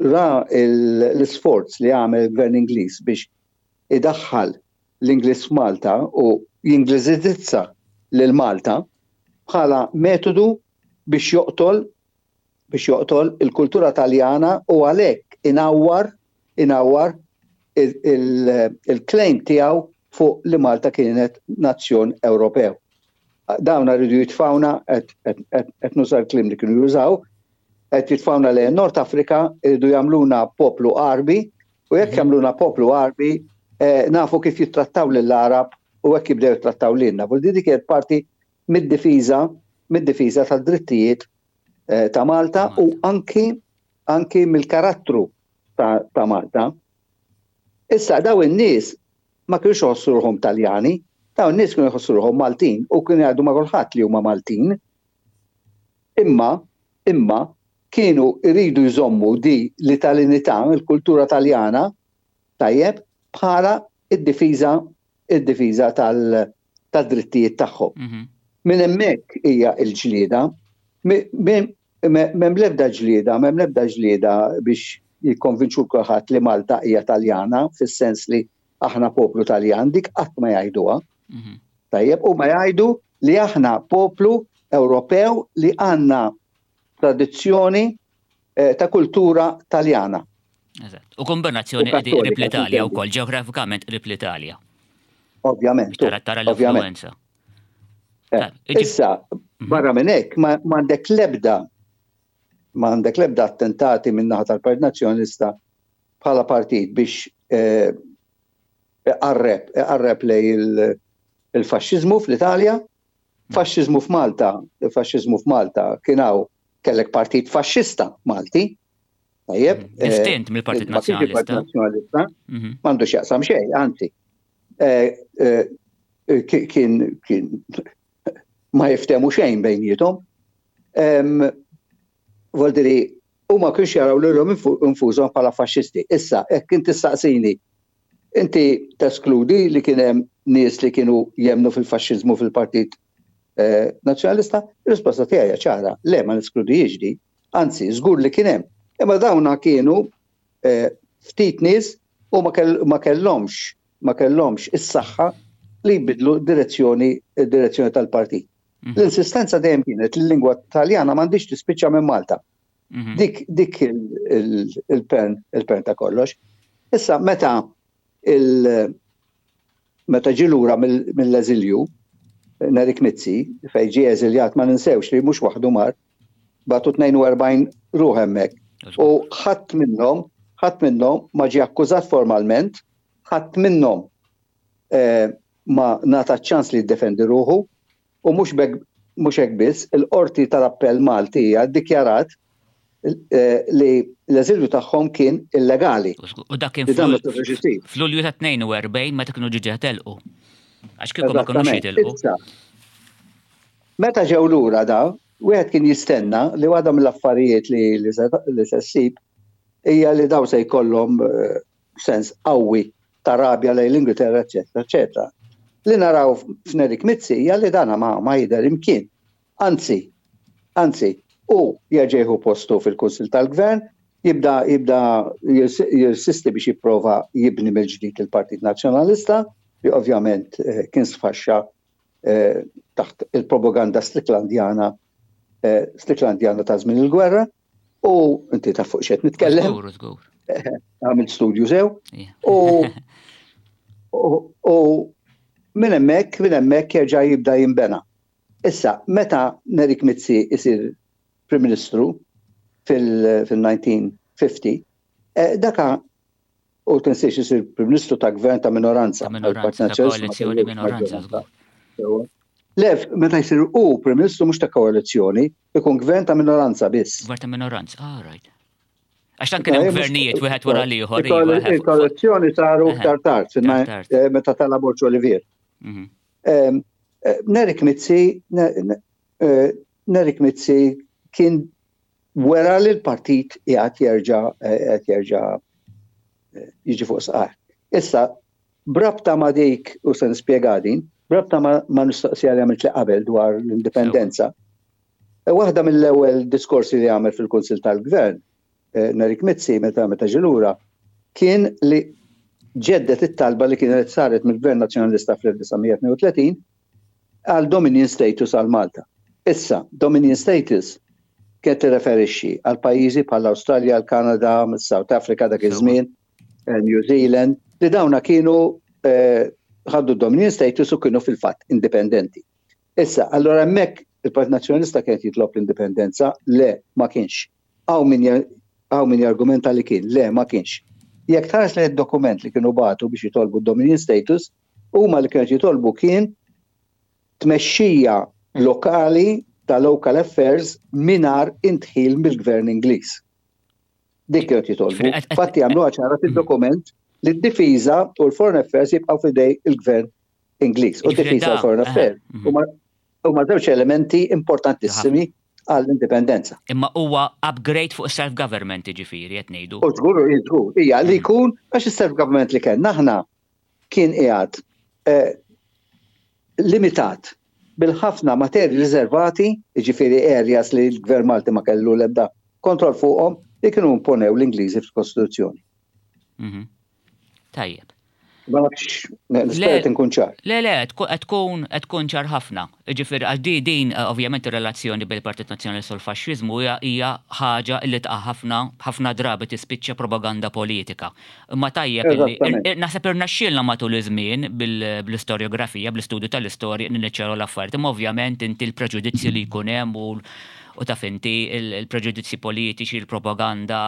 ra l-isforz li għamel il-Gvern Ingliż biex idaħħal l-Ingliż f'Malta u jingliżizza lil Malta bħala metodu biex joqtol biex joqtol il-kultura Taljana u għalhekk inawwar inawwar il-claim tiegħu fuq li Malta kienet nazzjon Ewropew. Dawn rridu jitfawna, qed nuża l-kliem li kienu jużaw, qed jitfawna lejn Nord Afrika, rridu jagħmluna poplu Arbi, u jekk mhm. jagħmluna poplu Arbi, eh, nafu kif jittrattaw lill-Arab u hekk jibdew jittrattaw lilna. Vuol dik kienet parti mid-difiża mid-difiża tad-drittijiet eh, ta' Malta u anki anki mill-karattru ta', ta Malta. Issa, daw in-nies ma kienux jħossu ruħhom Taljani, daw in-nies kienu jħossu ruħhom Maltin u kienu jgħidu ma' kulħadd li huma Maltin. Imma, imma kienu jridu jżommu di l-Italinità, il-kultura Taljana, tajjeb, bħala id-difiża id-difiża tal-drittijiet tagħhom. Mhm. Minn hemmhekk hija l-ġlieda, m'hemm l-ebda ġlieda, m'hemm l-ebda ġlieda biex jikkonvinċu kulħadd li Malta hija Taljana, fis-sens li aħna poplu Taljan, dik qatt ma jgħiduha. Mhm. Tajjeb, u ma jgħidu li aħna poplu Ewropew li għandna tradizzjoni eh, ta' kultura Taljana. Eżatt. U kombinazzjoni qrib l-Italja wkoll, ġeografikament qrib l-Italja. Ovvjament. Tara tara l-influenza. Eh, issa, mhm. barra minn hekk, ma għandek lebda ma għandek lebda attentati minn naħa tal-Partit Nazzjonalista bħala partit biex eh, iqarreb, iqarreb lejn il-faxxiżmu fl-Italja. Faxxiżmu f'Malta, il-faxxiżmu f'Malta kien hawn, kellek partit faxxista Malti. Tajjeb. Mhm. Distint mill-Partit Nazzjonalista. Nazzjonalista. Mhm. M'għandu x'jaqsam xejn, anzi. Eh, eh, kien kien ma jiftemu xejn bejniethom. Voldiri, u ma kienx jaraw lilhom infushom bħala faxxisti. Issa, jekk inti staqsini, inti teskludi li kien hemm nies li kienu jemnu fil-faxxiżmu fil-Partit eh, Nazzjonalista? Ir-risposta tiegħi ċara, le, ma neskludihiex di, anzi, żgur li kien hemm. Imma dawna kienu eh, ftit nies u ma kellhomx ma kellhomx is-saħħa li jbidlu direzzjoni direzzjoni tal-partit. Mhm. L-insistenza dejjem kienet li l-lingwa Taljana m'għandix tispiċċa minn Malta. Mhm. Dik dik il-pern il-pern ta' kollox. Issa, meta il meta ġie lura mill-eżilju Nerik Mizzi, fejn ġie eżiljat, ma ninsewx li mhux waħdu mar, bagħtu tnejn u erbgħin ruħ hemmhekk. U ħadd minnhom, ħadd minnhom ma ġie akkużat formalment, ħadd minnhom eh, ma ngħata ċans li jiddefendi ruħu u mhux mhux hekk biss, il-Qorti tal-Appell Maltija ddikjarat eh, li l-eżilju tagħhom kien illegali. U dak kien fl-Lulju ta' tnejn u erbgħin meta kienu diġà telqu. Għax kieku ma kinux jitilqu. Meta ġew lura da, wieħed kien jistenna li waħda mill-affarijiet li li se ssib hija li daw se jkollhom eh, sens qawwi ta' rabja lejn l-Ingilterra, eċetera, eċetera. Li naraw f'Nerik Mizzi hija li dana ma, ma jidher imkien. Anzi, anzi, u jerġa' jieħu postu fil-Kunsil tal-Gvern, jibda jibda jirsisti biex jipprova jibni mill-ġdid il-Partit Nazzjonalista, li ovvjament eh, kien sfaxxa eh, taħt il-propaganda Stricklandjana eh, Stricklandjana ta' żmien il-gwerra, u inti ta' fuq x'qed nitkellem. Żgur, żgur. Għamilt studju sew. U u minn hemmhekk minn hemmhekk jerġa' jibda jinbena. Issa, meta Nerik Mizzi isir Prim Ministru fil-elf disa' mija u ħamsin, eh, daka u tinsiex isir Prim Ministru ta' gvern ta' minoranza. Ta' minoranza, ta' koalizzjoni minoranza. Le, meta jsir u Prim Ministru mhux ta' koalizzjoni, ikun gvern ta' minoranza biss. Gvern ta' minoranza, ah, right. Għax tan kien hemm gvernijiet wieħed wara l-ieħor. Iva, il-koalizzjoni saru iktar tard, eh, meta tela' Borg Olivier. Mhm. Eh, Nerik Mizzi, Nerik Mizzi kien wera li l-partit qiegħed jerġa' qiegħed jerġa' jiġi fuq saqajh. Issa, brabta ma' dik, u se nispjega din, brabta ma' mistoqsija li għamilt li qabel dwar l-indipendenza, waħda mill-ewwel diskorsi li għamel fil-Kunsil tal-Gvern, eh, Nerik Mizzi, meta meta ġie lura, kien li ġeddet it-talba li kienet saret mill-Gvern Nazzjonalista fl-elf disa' mija tnejn u tletin għal Dominion Status għal Malta. Issa, Dominion Status kienet tirreferixxi għal pajjiżi bħal Awstralja, l-Kanada, South Africa dak iż-żmien, eh, New Zealand, li dawna kienu eh, ħaddu Dominion Status u kienu fil-fatt indipendenti. Issa, allora hemmhekk il-Partit Nazzjonalista kienet jitlob l-indipendenza, le, ma kienx. Hawn min min jargumenta li kien, le, ma kienx. Jekk tħares li dokument li kienu bagħtu biex jitolbu Dominion Status, huma li kienu jitolbu kien tmexxija lokali ta' local affairs mingħajr indħil mill-gvern Ingliż. Dik kienu jitolbu. Fatti għamlu ċara fil-dokument li d-difiża u l-foreign affairs jibqgħu f'idejn il-gvern Ingliż. U d-difiża u l-foreign affairs mhm. huma żewġ elementi importantissimi għall-indipendenza. Imma huwa upgrade fuq self-government, ġifieri qed ngħidu. U żgur, żgur, hija li jkun għax is-self-government li kellna aħna kien qiegħed eh, limitat bil-ħafna materji riservati, ġifieri areas li l-Gvern Malti ma kellu l-ebda kontroll fuqhom, li kienu imponew l-Ingliżi fil-Kostituzzjoni. Mhm. Tajjeb. Ma nafx, nispera nkun ċar. Le, le, qed tkun qed tkun ċar ħafna. Ġifieri għax di din eh, ovvjament ir-relazzjoni bil-Partit Nazzjonalista u l-Faxxiżmu hija hija ħaġa li taqa' ħafna ħafna drabi tispiċċa propaganda politika. Imma tajjeb illi Eżattament. naħseb irnexxielna matul iż-żmien bil-istorjografija, bl-istudju tal-istorja niċċaru l-affarijiet. Imma ovvjament inti l-preġudizzji li jkun hemm u u taf inti il-preġudizzji politiċi, il-propaganda,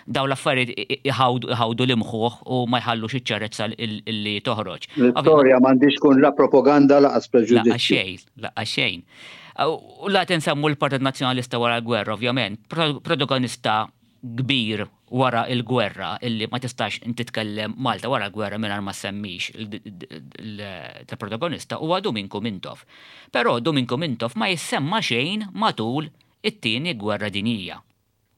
daw l-affarijiet iħawdu l-imħuħ u ma jħallux iċ-ċarezza illi toħroġ. L-istorja m'għandix tkun la propaganda laqas Laqqa preġudizzji. xejn, laqqa xejn. U la tinsemmu l-Partit Nazzjonalista wara l-gwerra, ovvjament, protagonista kbir wara il-gwerra illi ma tistax inti titkellem Malta wara l-gwerra mingħajr ma semmix il-protagonista huwa Duminku Mintoff. Però Duminku Mintoff ma jissemma xejn matul it-tieni gwerra dinjija.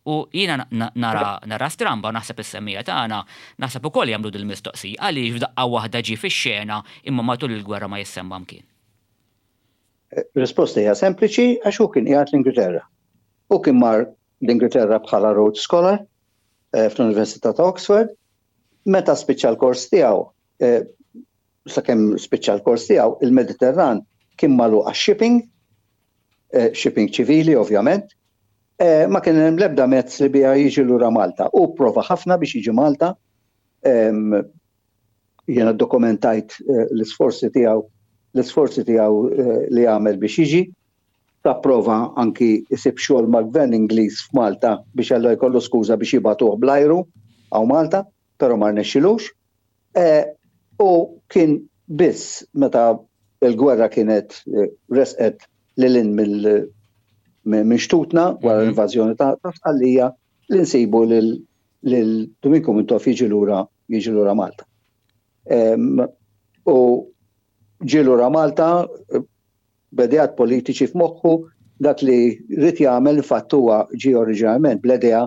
U jiena nara, nara stramba, naħseb is-semmiegħa tagħna, naħseb ukoll jagħmlu dil-mistoqsija għaliex f'daqqa waħda ġie fix-xena imma matul il-gwerra ma jissemma mkien. Risposta hija sempliċi, għax hu kien qiegħed l-Ingilterra. Hu kien mar l-Ingilterra bħala Rhodes Scholar eh, fl-Università ta' Oxford. Meta spiċċa l-kors tiegħu, eh, sakemm spiċċa l-kors tiegħu, il-Mediterran kien magħluq għax-shipping, eh, shipping ċivili ovvjament, ma kien hemm l-ebda mezz li biha jiġi lura Malta. U prova ħafna biex jiġi Malta. Jiena dokumentajt l-isforzi tiegħu l-isforzi tiegħu li għamel biex jiġi, ta' prova anki jsib xogħol mal-gvern Ingliż f'Malta biex għallu jkollu skuża biex jibagħtuh bl-ajru hawn Malta, però ma rnexxilux. U kien biss meta l-gwerra kienet resqet lil mill minn xtutna wara mhm. l-invażjoni ta' Sqallija li nsibu lil Duminku Mintoff jiġi lura jiġi lura Malta. U ġie lura Malta b'ideat politiċi f'moħħu. Dak li ried jagħmel, fatt, huwa ġie oriġinalment bl-idea,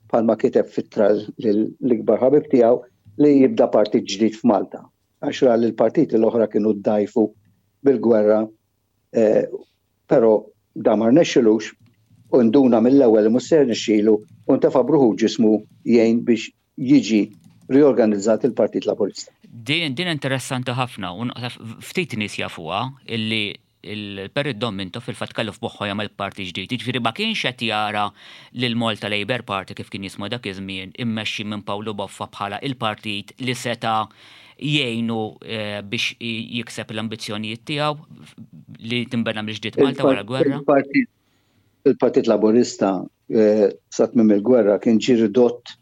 bħalma kiteb f'ittra l-ikbar ħabib tiegħu, li jibda partit ġdid f'Malta. Għax ra li l-partiti l-oħra kienu ddajfu bil-gwerra, eh, però da ma rnexxilux u nduna mill-ewwel li mhux se jirnexxilu u ntefa' b'ruħu u ġismu jgħin biex jiġi riorganizzat il-Partit Laburista. Din, din interessanti ħafna u ftit nies jafuha illi il-Perit Dom Mintoff fil-fatt kellu f'moħħu jagħmel parti ġdid. Jiġifieri ma kienx qed jara lil Malta Labour Party, kif kien jismu dak iż-żmien, immexxi minn Pawlu Boffa, bħala il-partit li seta' jgħinu eh, biex jikseb l-ambizzjonijiet tiegħu li tinbena mill-ġdid Malta wara gwerra. Il-Partit Laburista eh, sa tmiem il-gwerra kien ġie ridott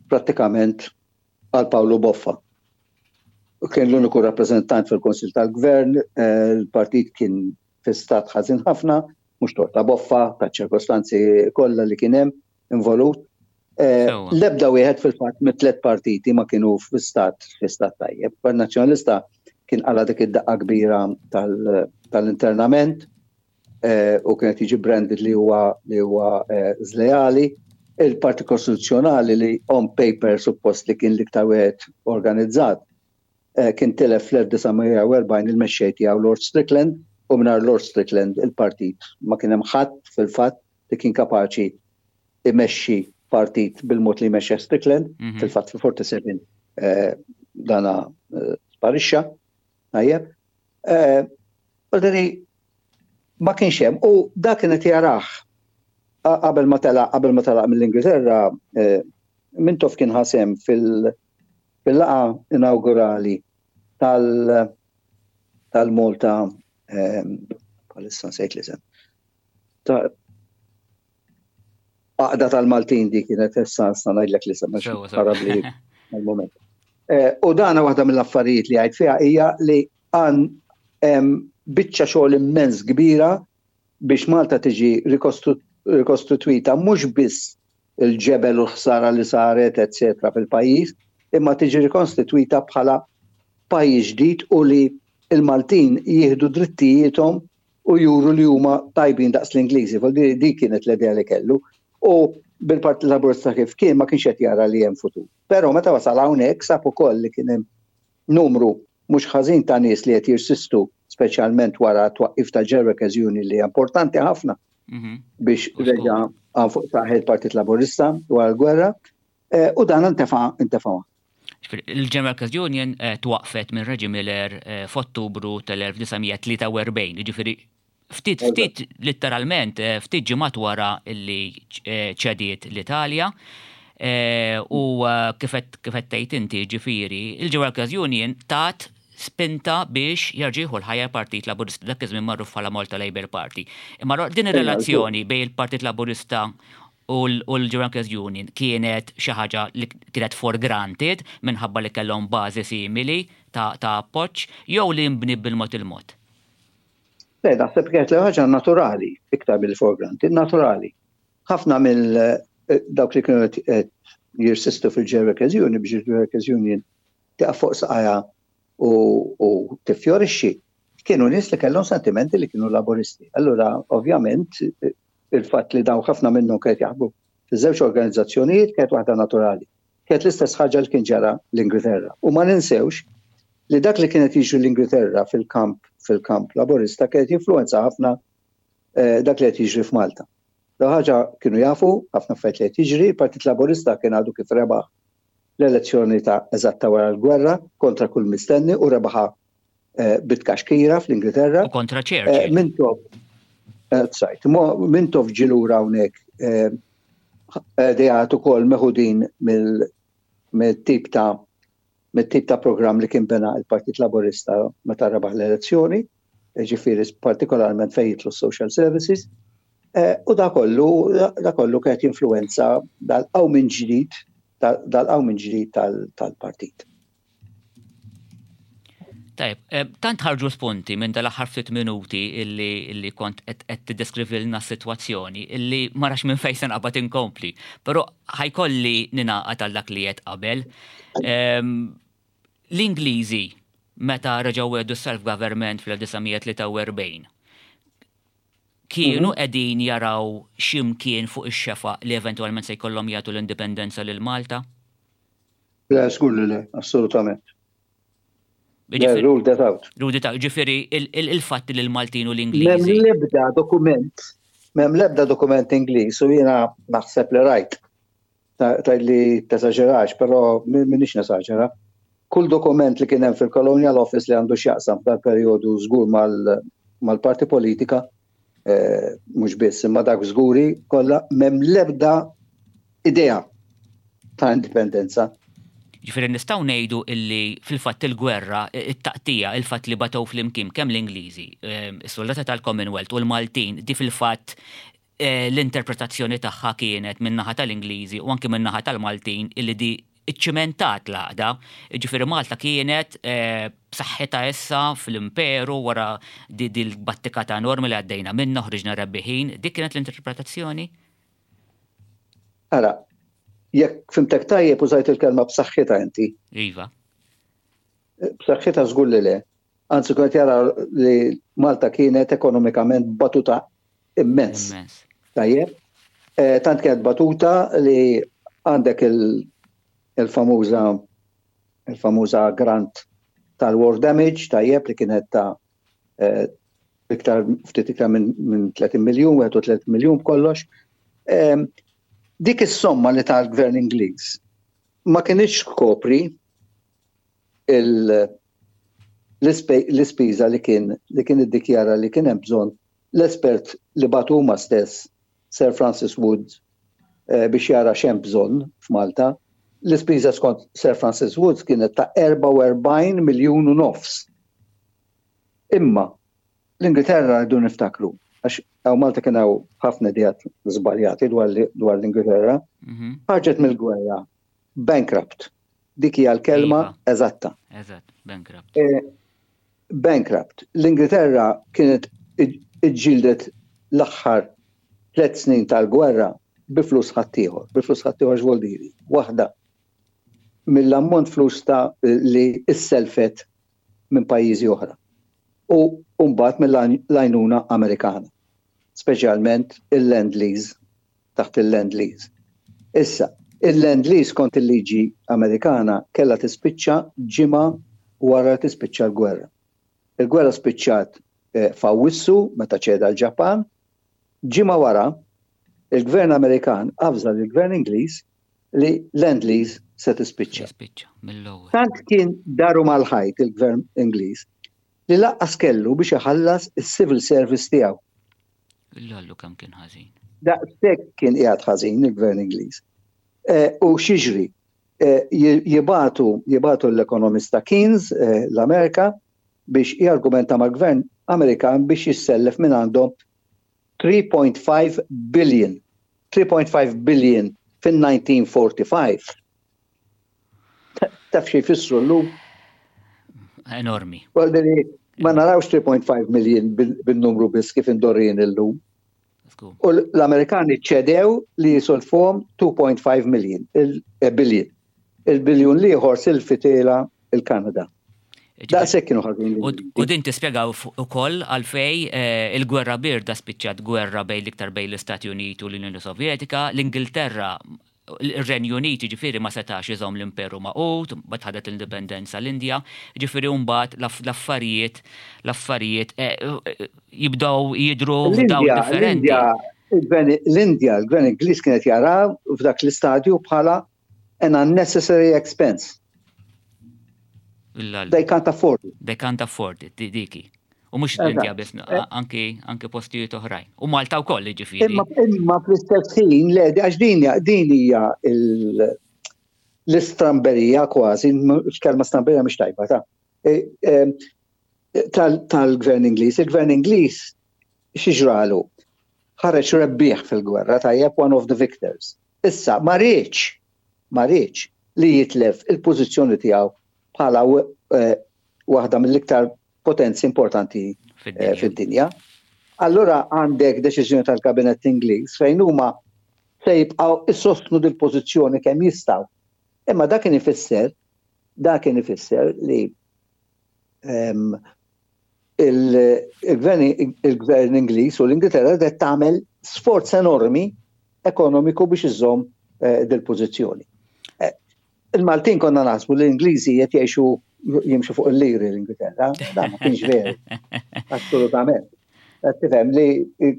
prattikament għal Pawlu Boffa. Kien l-uniku rappresentant fil-Konsil tal-Gvern, eh, il-partit kien fi stat ħażin ħafna, mhux tort ta' Boffa, ta' ċirkostanzi kollha li kien hemm involut. Eh, l-ebda wieħed fil-fatt mit-tliet partiti ma kienu fi stat fi stat tajjeb. Nazzjonalista kien qala' dik id-daqqa kbira tal-internament eh, u kienet jiġi branded li huwa li huwa żleali. Il-Partit Kostituzzjonali, li on paper suppost li kien l-iktar wieħed organizzat, Eh, kien tilef fl-elf disa' mija u erbgħin il-mexxej tiegħu Lord Strickland, u mingħajr Lord Strickland il-partit ma kien hemm ħadd fil-fatt li kien kapaċi imexxi partit bil-mod li mexxa Strickland. mhm. Fil-fatt fil-erbgħa u sebgħin eh, dana eh, sparixxa. Tajjeb. Ma kienx hemm u dak kienet jarah qabel ma telaq qabel ma telaq mill-Ingilterra. Mintoff kien ħa sehem fil- fil-laqgħa inaugurali tal- tal-Malta, bħalissa nsejt l-isem. Għaqda tal-Maltin di kienet, issa issa ngħidlek l-isem għax għal-moment. Eh, u dana waħda mill-affarijiet li għid fiha hija li għan biċċa xogħol immens kbira biex Malta tiġi rikostituita, mhux biss il-ġebel u ħsara li saret, eccetera, fil-pajjiż, imma tiġi rikonstituita bħala pajjiż ġdid u li il-Maltin jieħdu drittijiethom u juru li huma tajbin daqs l-Ingliżi. Di kienet l-idea li kellu. U bil-Partit Laburista kif kien ma kienx qed jara li hemm futur. Però meta wasal hawnhekk sab ukoll li kien hemm numru mhux ħażin ta' nies li qed jirsistu, speċjalment wara twaqqif ta' Workers Union, li importanti ħafna mhm. biex reġa' fuq saqajh il-Partit Laburista wara l-gwerra, eh, u dan intefa' intefa'. Il-General Workers Union eh, twaqfet minn Reggie Miller eh, f'Ottubru tal-elf disa' mija tlieta u erbgħin, ġifieri ftit ftit literalment eh, ftit ġimgħat wara illi ċediet l-Italja. U kif qed tgħid inti, ġifieri, il-General Workers Union tat spinta biex jerġa' jieħu l-ħajja Partit Laburista, dak iż-żmien magħruf bħala Malta Labour Party. Imma din ir-relazzjoni bejn il-Partit Laburista u l-Workers Union kienet xi ħaġa li kienet for granted minħabba li kellhom bażi simili ta' appoġġ jew li nbniet bil-mod il-mod? Le, naħseb kienet li ħaġa naturali, iktar mill for granted, naturali. Ħafna mill eh, dawk li kienu qed jirsistu fil-Workers Union biex il-Workers Union tiqaf fuq saqajha u tifjorixxi, kienu nies li kellhom sentimenti li kienu Laburisti. Allura, ovvjament, il-fatt li daw ħafna minnhom kienet jaħbu fiż-żewġ organizzazzjonijiet kienet waħda naturali. Kienet l-istess ħaġa li kien ġara l-Ingilterra. U ma ninsewx li dak li kienet jiġri l-Ingilterra fil-kamp fil-kamp Laburista kienet influenza ħafna eh, dak li qed jiġri f'Malta. Da ħaġa kienu jafu, ħafna affarijiet li qed jiġri. Il-Partit Laburista kien għadu kif rebaħ l-elezzjoni ta' eżatta wara l-gwerra kontra kull mistenni u rebaħa eh, bit-kaxkira fl-Ingilterra. U kontra Churchill. Eh, Mintoff Sajt, Mintoff ġie lura hawnhekk ideat ukoll meħudin mill-tip ta' mit-tip ta' programm li kien bena il-Partit Laburista meta rebaħ l-elezzjoni, ġifieri partikolarment fejn jidħlu social services, eh, u da kollu, da kollu kienet influenza dal-qawmien ġdid dal-qawmien ġdid tal-partit. Tajb, eh, tant ħarġu spunti minn dal-aħħar ftit minuti illi, illi kont qed tiddeskrivilna s-sitwazzjoni illi ma nafx minn fejn se naqbad inkompli. Però ħa jkolli ningħaqad għal dak li qed qabel. Ehm, l-Ingliżi meta reġgħu wedu self-government fl-elf disa' mija tlieta u erbgħin kienu mhm. qegħdin jaraw x'imkien fuq ix-xefaq li eventwalment se jkollhom jagħtu l-indipendenza lil Malta? Le, żgur li le, assolutament. Rule that out. Rule that out. Ġifieri, il-fatt li l-Maltin u l-Ingliżi. M'hemm l-ebda dokument, m'hemm l-ebda dokument Ingliż u jiena naħseb li rajt. Ta' li tesaġerax, però m'iniex nesaġera. Kull dokument li kien hemm fil-Colonial Office li għandu x'jaqsam dal-perjodu żgur mal-parti politika, eh, mhux biss, imma dak żguri kollha, m'hemm l-ebda idea ta' indipendenza. Ġifieri nistgħu ngħidu illi fil-fatt il-gwerra, it-taqtija, il-fatt li batow flimkien kemm l-Ingliżi, ehm, is-soldati tal-Commonwealth u l-Maltin, di fil-fatt eh, l-interpretazzjoni tagħha kienet min-naħa tal-Ingliżi u anke min-naħa tal-Maltin illi di iċċimentat l-għaqda. Ġifieri Malta kienet eh, b'saħħitha issa fl-imperu wara di l-battikata enormi li għaddejna minna, ħriġna rebbiħin. Dik kienet l-interpretazzjoni? Ara, jekk fhimtek tajjeb, użajt il-kelma "b'saħħitha" inti. Iva. B'saħħitha żgur li le. Anzi, kont jara li Malta kienet ekonomikament batuta immens. Tajjeb. Eh, tant kienet batuta li għandek il-famuża il-famuża grant tal-war damage, tajjeb, li kienet ta' eh, iktar ftit iktar minn tletin miljun, wieħed u tletin miljun kollox. Dik is-somma li tal-gvern Ingliż ma kienx kopri l-ispiża li kien li kien iddikjara li kien hemm bżonn l-espert li bagħtu huma stess, Sir Francis Woods, eh, biex jara x'hemm bżonn f'Malta. L-ispiża skont Sir Francis Woods kienet ta' erbgħa u erbgħin miljun u nofs. Imma l-Ingilterra, rridu niftakru, għax hawn Malta kien hawn ħafna ideat żbaljati dwar l-Ingilterra, mhm. ħarġet mill-gwerra bankrupt. Dik hija l-kelma iva. Eżatta. Eżatt, bankrupt. E, bankrupt. L-Ingilterra kienet iġġildet l-aħħar tliet snin tal-gwerra bi flus ħaddieħor, bi flus ħaddieħor x'voldiri. Waħda mill-ammont flus ta' li isselfet minn pajjiżi oħra. U mbagħad mill-għajnuna Amerikana, speċjalment il-Lend Lease, taħt il-Lend Lease. Issa, il-Lend Lease kont il-liġi Amerikana kella tispiċċa ġimgħa wara tispiċċa l-gwerra. Il-gwerra spiċċat eh, f'Awwissu meta ċeda l-Ġapan, ġimgħa wara il-gvern Amerikan avża l-gvern Ingliż li Lend Lease se tispiċċa. Tant kien daru mal-ħajt il-gvern Ingliż li lanqas kellu biex iħallas is-civil service tiegħu. Illallu kemm kien ħażin. Daqshekk kien qiegħed ħażin il-gvern Ingliż. Eh, u x'jiġri, eh, jibagħtu jibagħtu l-ekonomista Keynes eh, l-Amerika biex jargumenta mal-gvern Amerikan biex jissellef minn għandhom three point five billion. three point five billion fin-elf disa' mija u erbgħa u erbgħin. Taf xi jfissru llum? Enormi. Ma narawx three point five million bil-numru biss kif imdorrijin illum. U l-Amerikani ċedew li jisilfuhom two point five million, il billion. Il-biljun l-ieħor silfithielha il-Kanada. Daqshekk kienu ħażin. U din tispjegaw ukoll għalfej eh, il-gwerra birda spiċċat gwerra bejn l-iktar bejn l-Istati Uniti u l-Unjoni Sovjetika, l-Ingilterra, il-Renju Unit ġifieri ma setax iżomm l-imperu magħqud, mbagħad ħadet l-indipendenza l-Indja, ġifieri mbagħad l-affarijiet l-affarijiet eh, eh, jibdew jidru f'dawl differenti. L-Indja, l-Gvern Ingliż kienet jara f'dak l-istadju bħala an unnecessary expense. They can't afford it. They can't afford it, diki. U mhux l-Indja biss, anki anki postijiet oħrajn. U Malta wkoll, ġifieri. Imma imma fl-istess ħin, le, għax din din hija l-istramberija kważi, kelma stramberija mhix tajba ta' e, e, tal-gvern Ingliż. Il-gvern Ingliż xi ġralu? Ħareġ rebbieħ fil-gwerra, tajjeb, one of the victors. Issa, ma riedx, ma riedx li jitlef il-pożizzjoni tiegħu bħala eh, waħda mill-iktar potenzi importanti eh, fid-dinja. Allura għandek deċiżjoni tal-Kabinett Ingliż fejn huma se jibqgħu issostnu dil-pożizzjoni kemm jistgħu. Imma dak kien ifisser dak kien ifisser li ehm, il-gvern Ingliż u l-Ingilterra qed tagħmel sforz enormi ekonomiku biex iżomm eh, dil-pożizzjoni. Eh, il-Maltin konna naħsbu li l-Ingliżi qed jgħixu jimxu fuq il-liri l-Ingilterra, da ma kienx veru. Assolutament. Tifhem li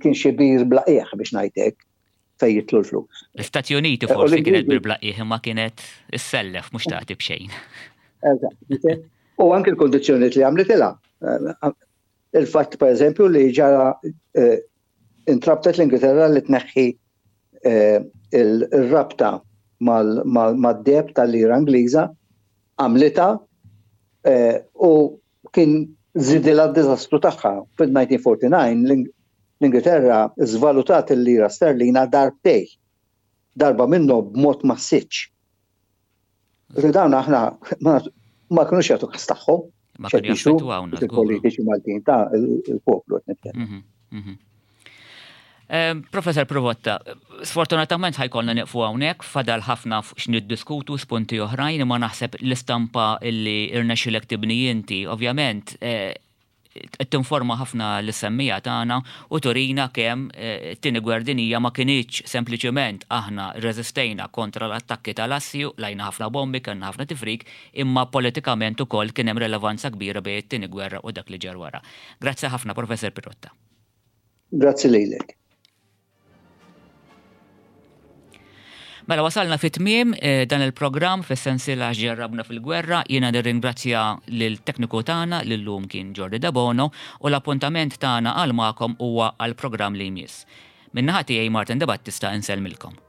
kien xi bir bla qiegħ biex ngħidlek fejn jitlu l-flus. L-Istati Uniti eh, forsi kienet bir bla qiegħ imma kienet issellef mhux tagħti b'xejn. Eżatt. U anke l-kondizzjonijiet li għamlitilha. Eh, il-fatt per eżempju li ġara eh, intrabtet l-Ingilterra li tneħħi il-rabta mad-deheb tal-lira Ingliża għamlitha Eh, u kien żidilha d-diżastru tagħha. Fil-elf disa' mija u erbgħa u erbgħin l-Ingilterra żvalutat il-lira sterlina darbtejn. Darba minnhom b'mod massiċ. Dawn aħna ma kinux jagħtu kas tagħhom. Ma kienu jaffettwawna. Il-politiċi Maltin ta' il-poplu qed nitkellem. Mhm, mhm. Professor Pirotta, sfortunatament ħa jkollna nieqfu hawnhekk, fadal ħafna x'niddiskutu spunti oħrajn, imma naħseb l-istampa illi irnexxilek tibni inti, ovvjament, eh, qed tinforma ħafna lis-semmiegħa tagħna u turina kemm eh, it-tieni gwerra dinjija ma kinitx sempliċement aħna reżistejna kontra l-attakki tal-assi, qlajna ħafna bombi, kellna ħafna tifrik, imma politikament ukoll kien hemm relevanza kbira bejn it-tieni gwerra u dak li ġar wara. Grazzi ħafna, Professor Pirotta. Grazzi lilek. Mela wasalna fit tmiem eh, dan il-programm fis-sensiela Ġarrabna fil-Gwerra. Jiena nirringrazzja lil tekniku tagħna li llum kien Jordi Debono u l-appuntament tagħna għal magħkom huwa għal programm li jmiss. Min-naħa tiegħi Martin De Battista insellmilkom.